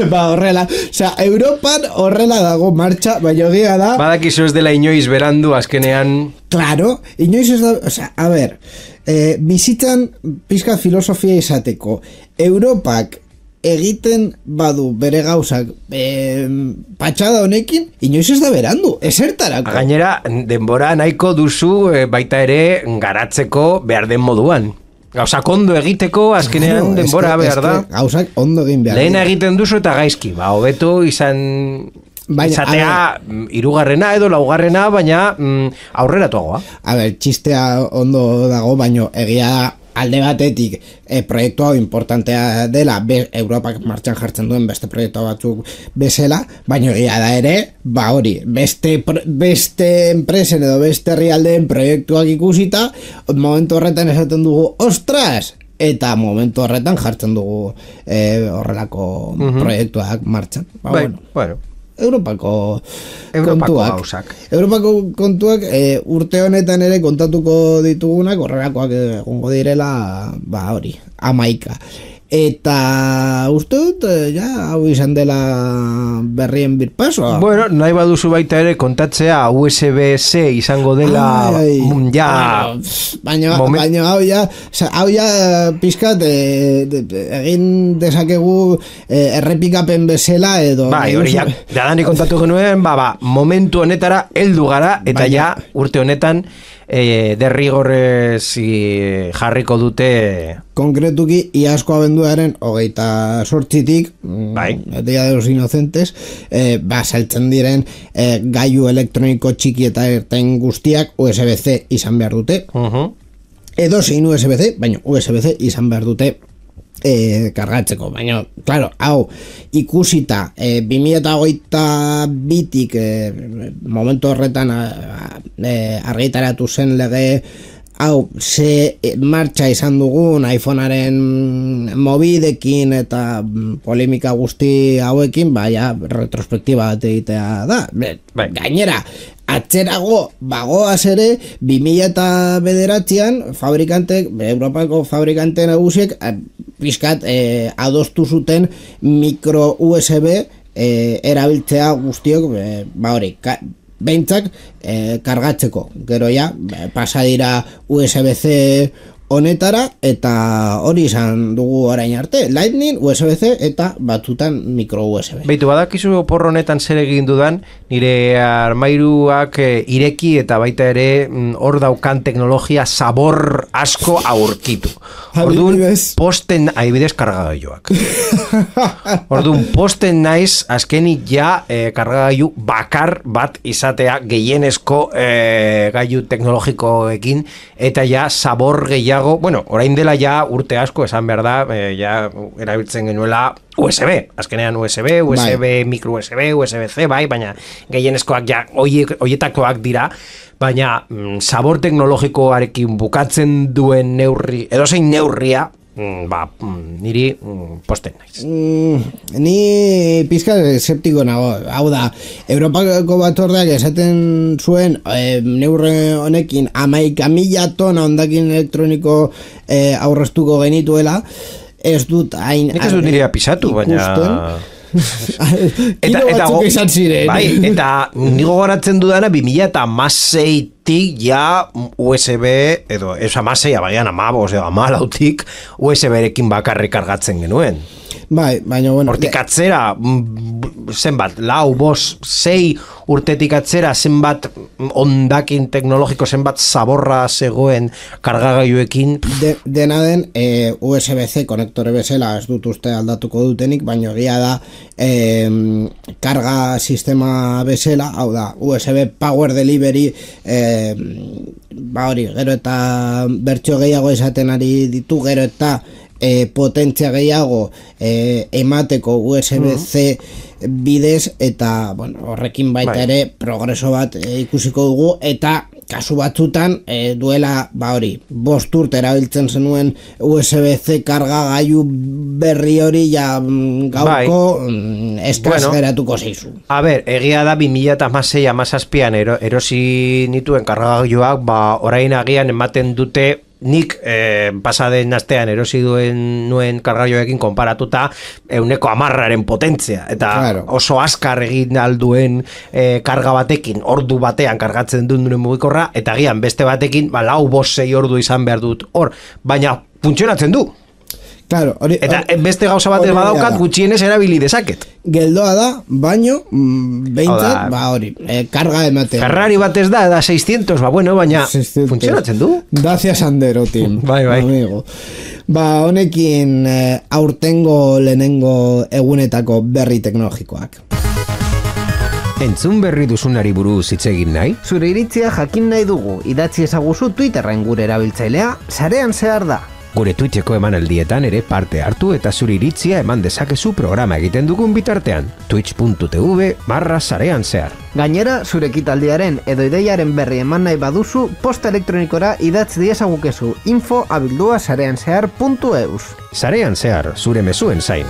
[SPEAKER 2] ba horrela, osea, Europan horrela dago martxa, baina egia da.
[SPEAKER 4] Badakizu ez dela inoiz berandu azkenean.
[SPEAKER 2] Claro, inoiz ez da, osea, a ber, eh, bizitzan pizka filosofia izateko, Europak egiten badu bere gauzak e, patxada honekin, inoiz ez da berandu, esertarako.
[SPEAKER 4] Gainera, denbora nahiko duzu e, baita ere garatzeko behar den moduan. Gauzak ondo egiteko, azkenean claro, denbora eske, behar da.
[SPEAKER 2] Gauzak ondo egin behar.
[SPEAKER 4] Lehena egiten duzu eta gaizki, ba, hobeto izan... Baina, izatea hirugarrena edo laugarrena, baina mm, aurreratuagoa.
[SPEAKER 2] A ber, txistea ondo dago, baino egia alde batetik e, proiektu hau importantea dela be, Europak martxan jartzen duen beste proiektu batzuk bezala, baina egia da ere, ba hori, beste, beste enpresen edo beste herrialdeen proiektuak ikusita, momentu horretan esaten dugu, ostras! Eta momentu horretan jartzen dugu e, horrelako uh-huh. proiektuak martxan. Ba,
[SPEAKER 4] bai,
[SPEAKER 2] bueno.
[SPEAKER 4] bueno.
[SPEAKER 2] Europako,
[SPEAKER 4] Europako
[SPEAKER 2] kontuak.
[SPEAKER 4] Hausak.
[SPEAKER 2] Europako kontuak e, urte honetan ere kontatuko ditugunak horrelakoak egongo direla, ba hori, hamaika. Eta uste dut, ja, hau izan dela berrien birpasoa.
[SPEAKER 4] Bueno, nahi baduzu baita ere kontatzea U S B-C izango dela ai, ja...
[SPEAKER 2] Baina, moment... baina hau ja, hau ja pizkat e, de, de, egin dezakegu e, errepikapen bezala edo...
[SPEAKER 4] Bai, hori ja, dadani kontatu genuen, ba, ba, momentu honetara heldu gara, eta baina... ja, urte honetan, E, derrigorrez jarriko dute
[SPEAKER 2] konkretuki iazko abenduaren hogeita sortzitik
[SPEAKER 4] bai.
[SPEAKER 2] Dia de los inocentes e, ba, saltzen diren e, gailu elektroniko txiki eta ertain guztiak U S B-C izan behar dute uh-huh. edo zein U S B-C, baina U S B-C izan behar dute E, kargatzeko, baina, claro, hau ikusita, e, bi mila hogeita bitik e, momentu horretan e, argitaratu zen lege hau, ze martxa izan dugun iPhonearen mobidekin eta polemika guzti hauekin, baina retrospektiba bat egitea da, bai. Gainera atzerago bagoaz ere bi mila bederatzean fabrikantek, Europako fabrikante nagusiek pizkat eh, adostu zuten mikro U S B eh, erabiltzea guztiok eh, ba hori, ka, behintzak eh, kargatzeko, gero ja pasa dira U S B-C honetara eta hori izan dugu orain arte, Lightning, U S B-C eta batzutan micro U S B.
[SPEAKER 4] Beitu, badakizu opor honetan zer egin dudan, nire armairuak e, ireki eta baita ere hor mm, daukan teknologia sabor asko aurkitu. Orduan posten aibidez kargagailuak. Orduan posten naiz azkenik ja e, kargagailu bakar bat izatea gehienezko e, gailu teknologikoekin eta ja sabor gehiago. Bueno, orain dela ja urte asko esan behar da, eh, ja erabiltzen genuela U S B, azkenean U S B, U S B, bai. Micro U S B, U S B-C, bai, baina gehienezkoak ja hoietakoak dira, baina mm, sabor teknologikoarekin bukatzen duen neurri, edozein neurria, mm, ba, mm, niri mm, posten naiz.
[SPEAKER 2] Mm, ni pizka eseptiko nago, hau da, Europako batzordeak esaten zuen e, neurre honekin hamaika mila tona hondakin elektroniko e, aurreztuko genituela, ez dut hain...
[SPEAKER 4] Nik ez dut nire apisatu, baina...
[SPEAKER 2] eta, eta, go, bai,
[SPEAKER 4] eta nigo goratzen dudana bi mila hamasei tik ja U S B, edo ez amaseia, baian amabos, edo amalautik U S B-erekin bakarrik kargatzen genuen.
[SPEAKER 2] Bai, baina bueno...
[SPEAKER 4] Hortik atzera, zenbat, lau, bos, sei urtetik atzera, zenbat ondakin teknologiko, zenbat zaborra zegoen kargagailuekin.
[SPEAKER 2] De, dena den, e, U S B C konektore bezala ez dut uste aldatuko dutenik, baina egia da e, karga sistema bezala, hau da, U S B Power Delivery, e, ba hori, gero eta bertxo gehiago esaten ari ditu, gero eta E, potentzia gehiago e, emateko U S B C bidez, eta bueno, horrekin baita bai. Ere progreso bat e, ikusiko dugu, eta kasu batzutan e, duela ba hori, bost urte erabiltzen zenuen U S B C karga gailu berri hori ja gauko bai. Eskaz bueno, geratuko zeizu.
[SPEAKER 4] A ber, egia da bi mila hamasei hamazazpian ero, erosi nituen kargagailuak, ba orain agian ematen dute nik eh, pasaden astean erosi duen nuen kargaioekin konparatuta euneko hamarraren potentzia, eta claro. Oso azkar egin alduen eh, karga batekin, ordu batean kargatzen duen duen mugikorra, eta agian beste batekin ba, lau bost sei ordu izan behar dut hor, baina funtzionatzen du.
[SPEAKER 2] Claro, ori,
[SPEAKER 4] eta ori, beste gauza batez badaukat gutxienez erabili dezaket.
[SPEAKER 2] Geldoa da, baino behintzat, ba hori, eh, karga ematen.
[SPEAKER 4] Ferrari batez da, da seiscientos, ba bueno, baina seiscientos. Funtzionatzen du.
[SPEAKER 2] Gracias Sandero, Tim.
[SPEAKER 4] Bai, bai.
[SPEAKER 2] Amigo. Ba, honekin eh, aurtengo lehenengo egunetako berri teknologikoak.
[SPEAKER 3] Entzun berri duzunari buruz hitz egin nahi?
[SPEAKER 5] Zure iritzia jakin nahi dugu, idatzi ezaguzu Twitterren gure erabiltzailea, sarean zehar da.
[SPEAKER 3] Gure Twitcheko emanaldietan ere parte hartu eta zure iritzia eman dezakezu programa egiten dugun bitartean. twitch.tv barra sarean zehar.
[SPEAKER 5] Gainera, zure ekitaldiaren edo ideiaren berri eman nahi baduzu, posta elektronikora idatz diezagukezu info abildua sarean zehar puntu eus.
[SPEAKER 3] Sarean zehar, zure mezuen zain.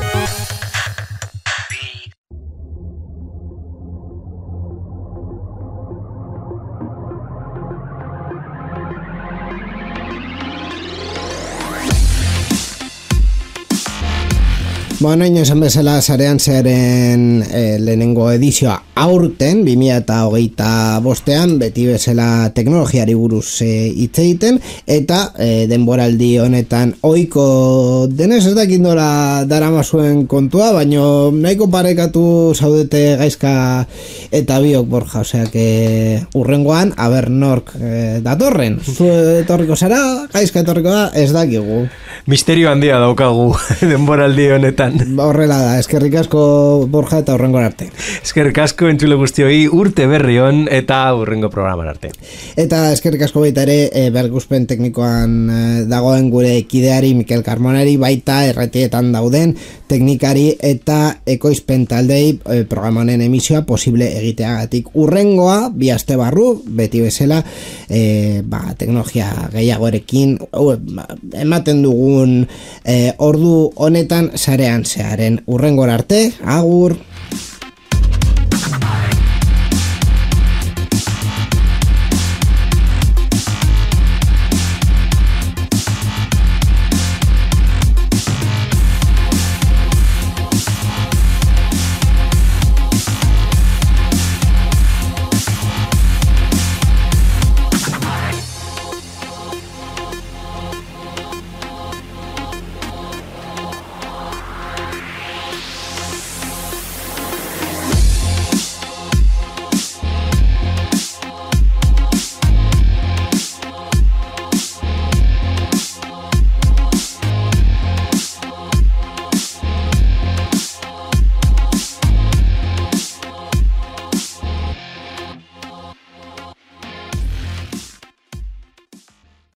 [SPEAKER 2] Bueno, ino esan bezala sarean zearen e, lehenengo edizioa aurten, bi mila hogeita bostean, beti bezala teknologiari buruz hitz egiten, eta e, denboraldi honetan ohiko denez ez dakit nola daramazuen kontua, baino nahiko parekatu zaudete Gaizka eta biok, Borja, oseak e, urrengoan, aber nork e, datorren. Zu etorriko zara, Gaizka etorriko da, ez dakigu.
[SPEAKER 4] Misterio handia daukagu denboraldi honetan.
[SPEAKER 2] Horrela da, eskerrik asko Borja eta urrengo arte.
[SPEAKER 4] Eskerrik asko entzule guztioi, urte berri on eta urrengo programan arte.
[SPEAKER 2] Eta eskerrik asko baita ere e, berguzpen teknikoan e, dagoen gure kideari Mikel Carmonari, baita erretietan dauden teknikari eta ekoizpen taldei e, programanen emisioa posible egiteagatik. Urrengoa, bi aste barru, beti bezala e, ba, teknologia gehiagorekin uh, ematen dugun e, ordu honetan sarean zearen. Urrengora arte, agur.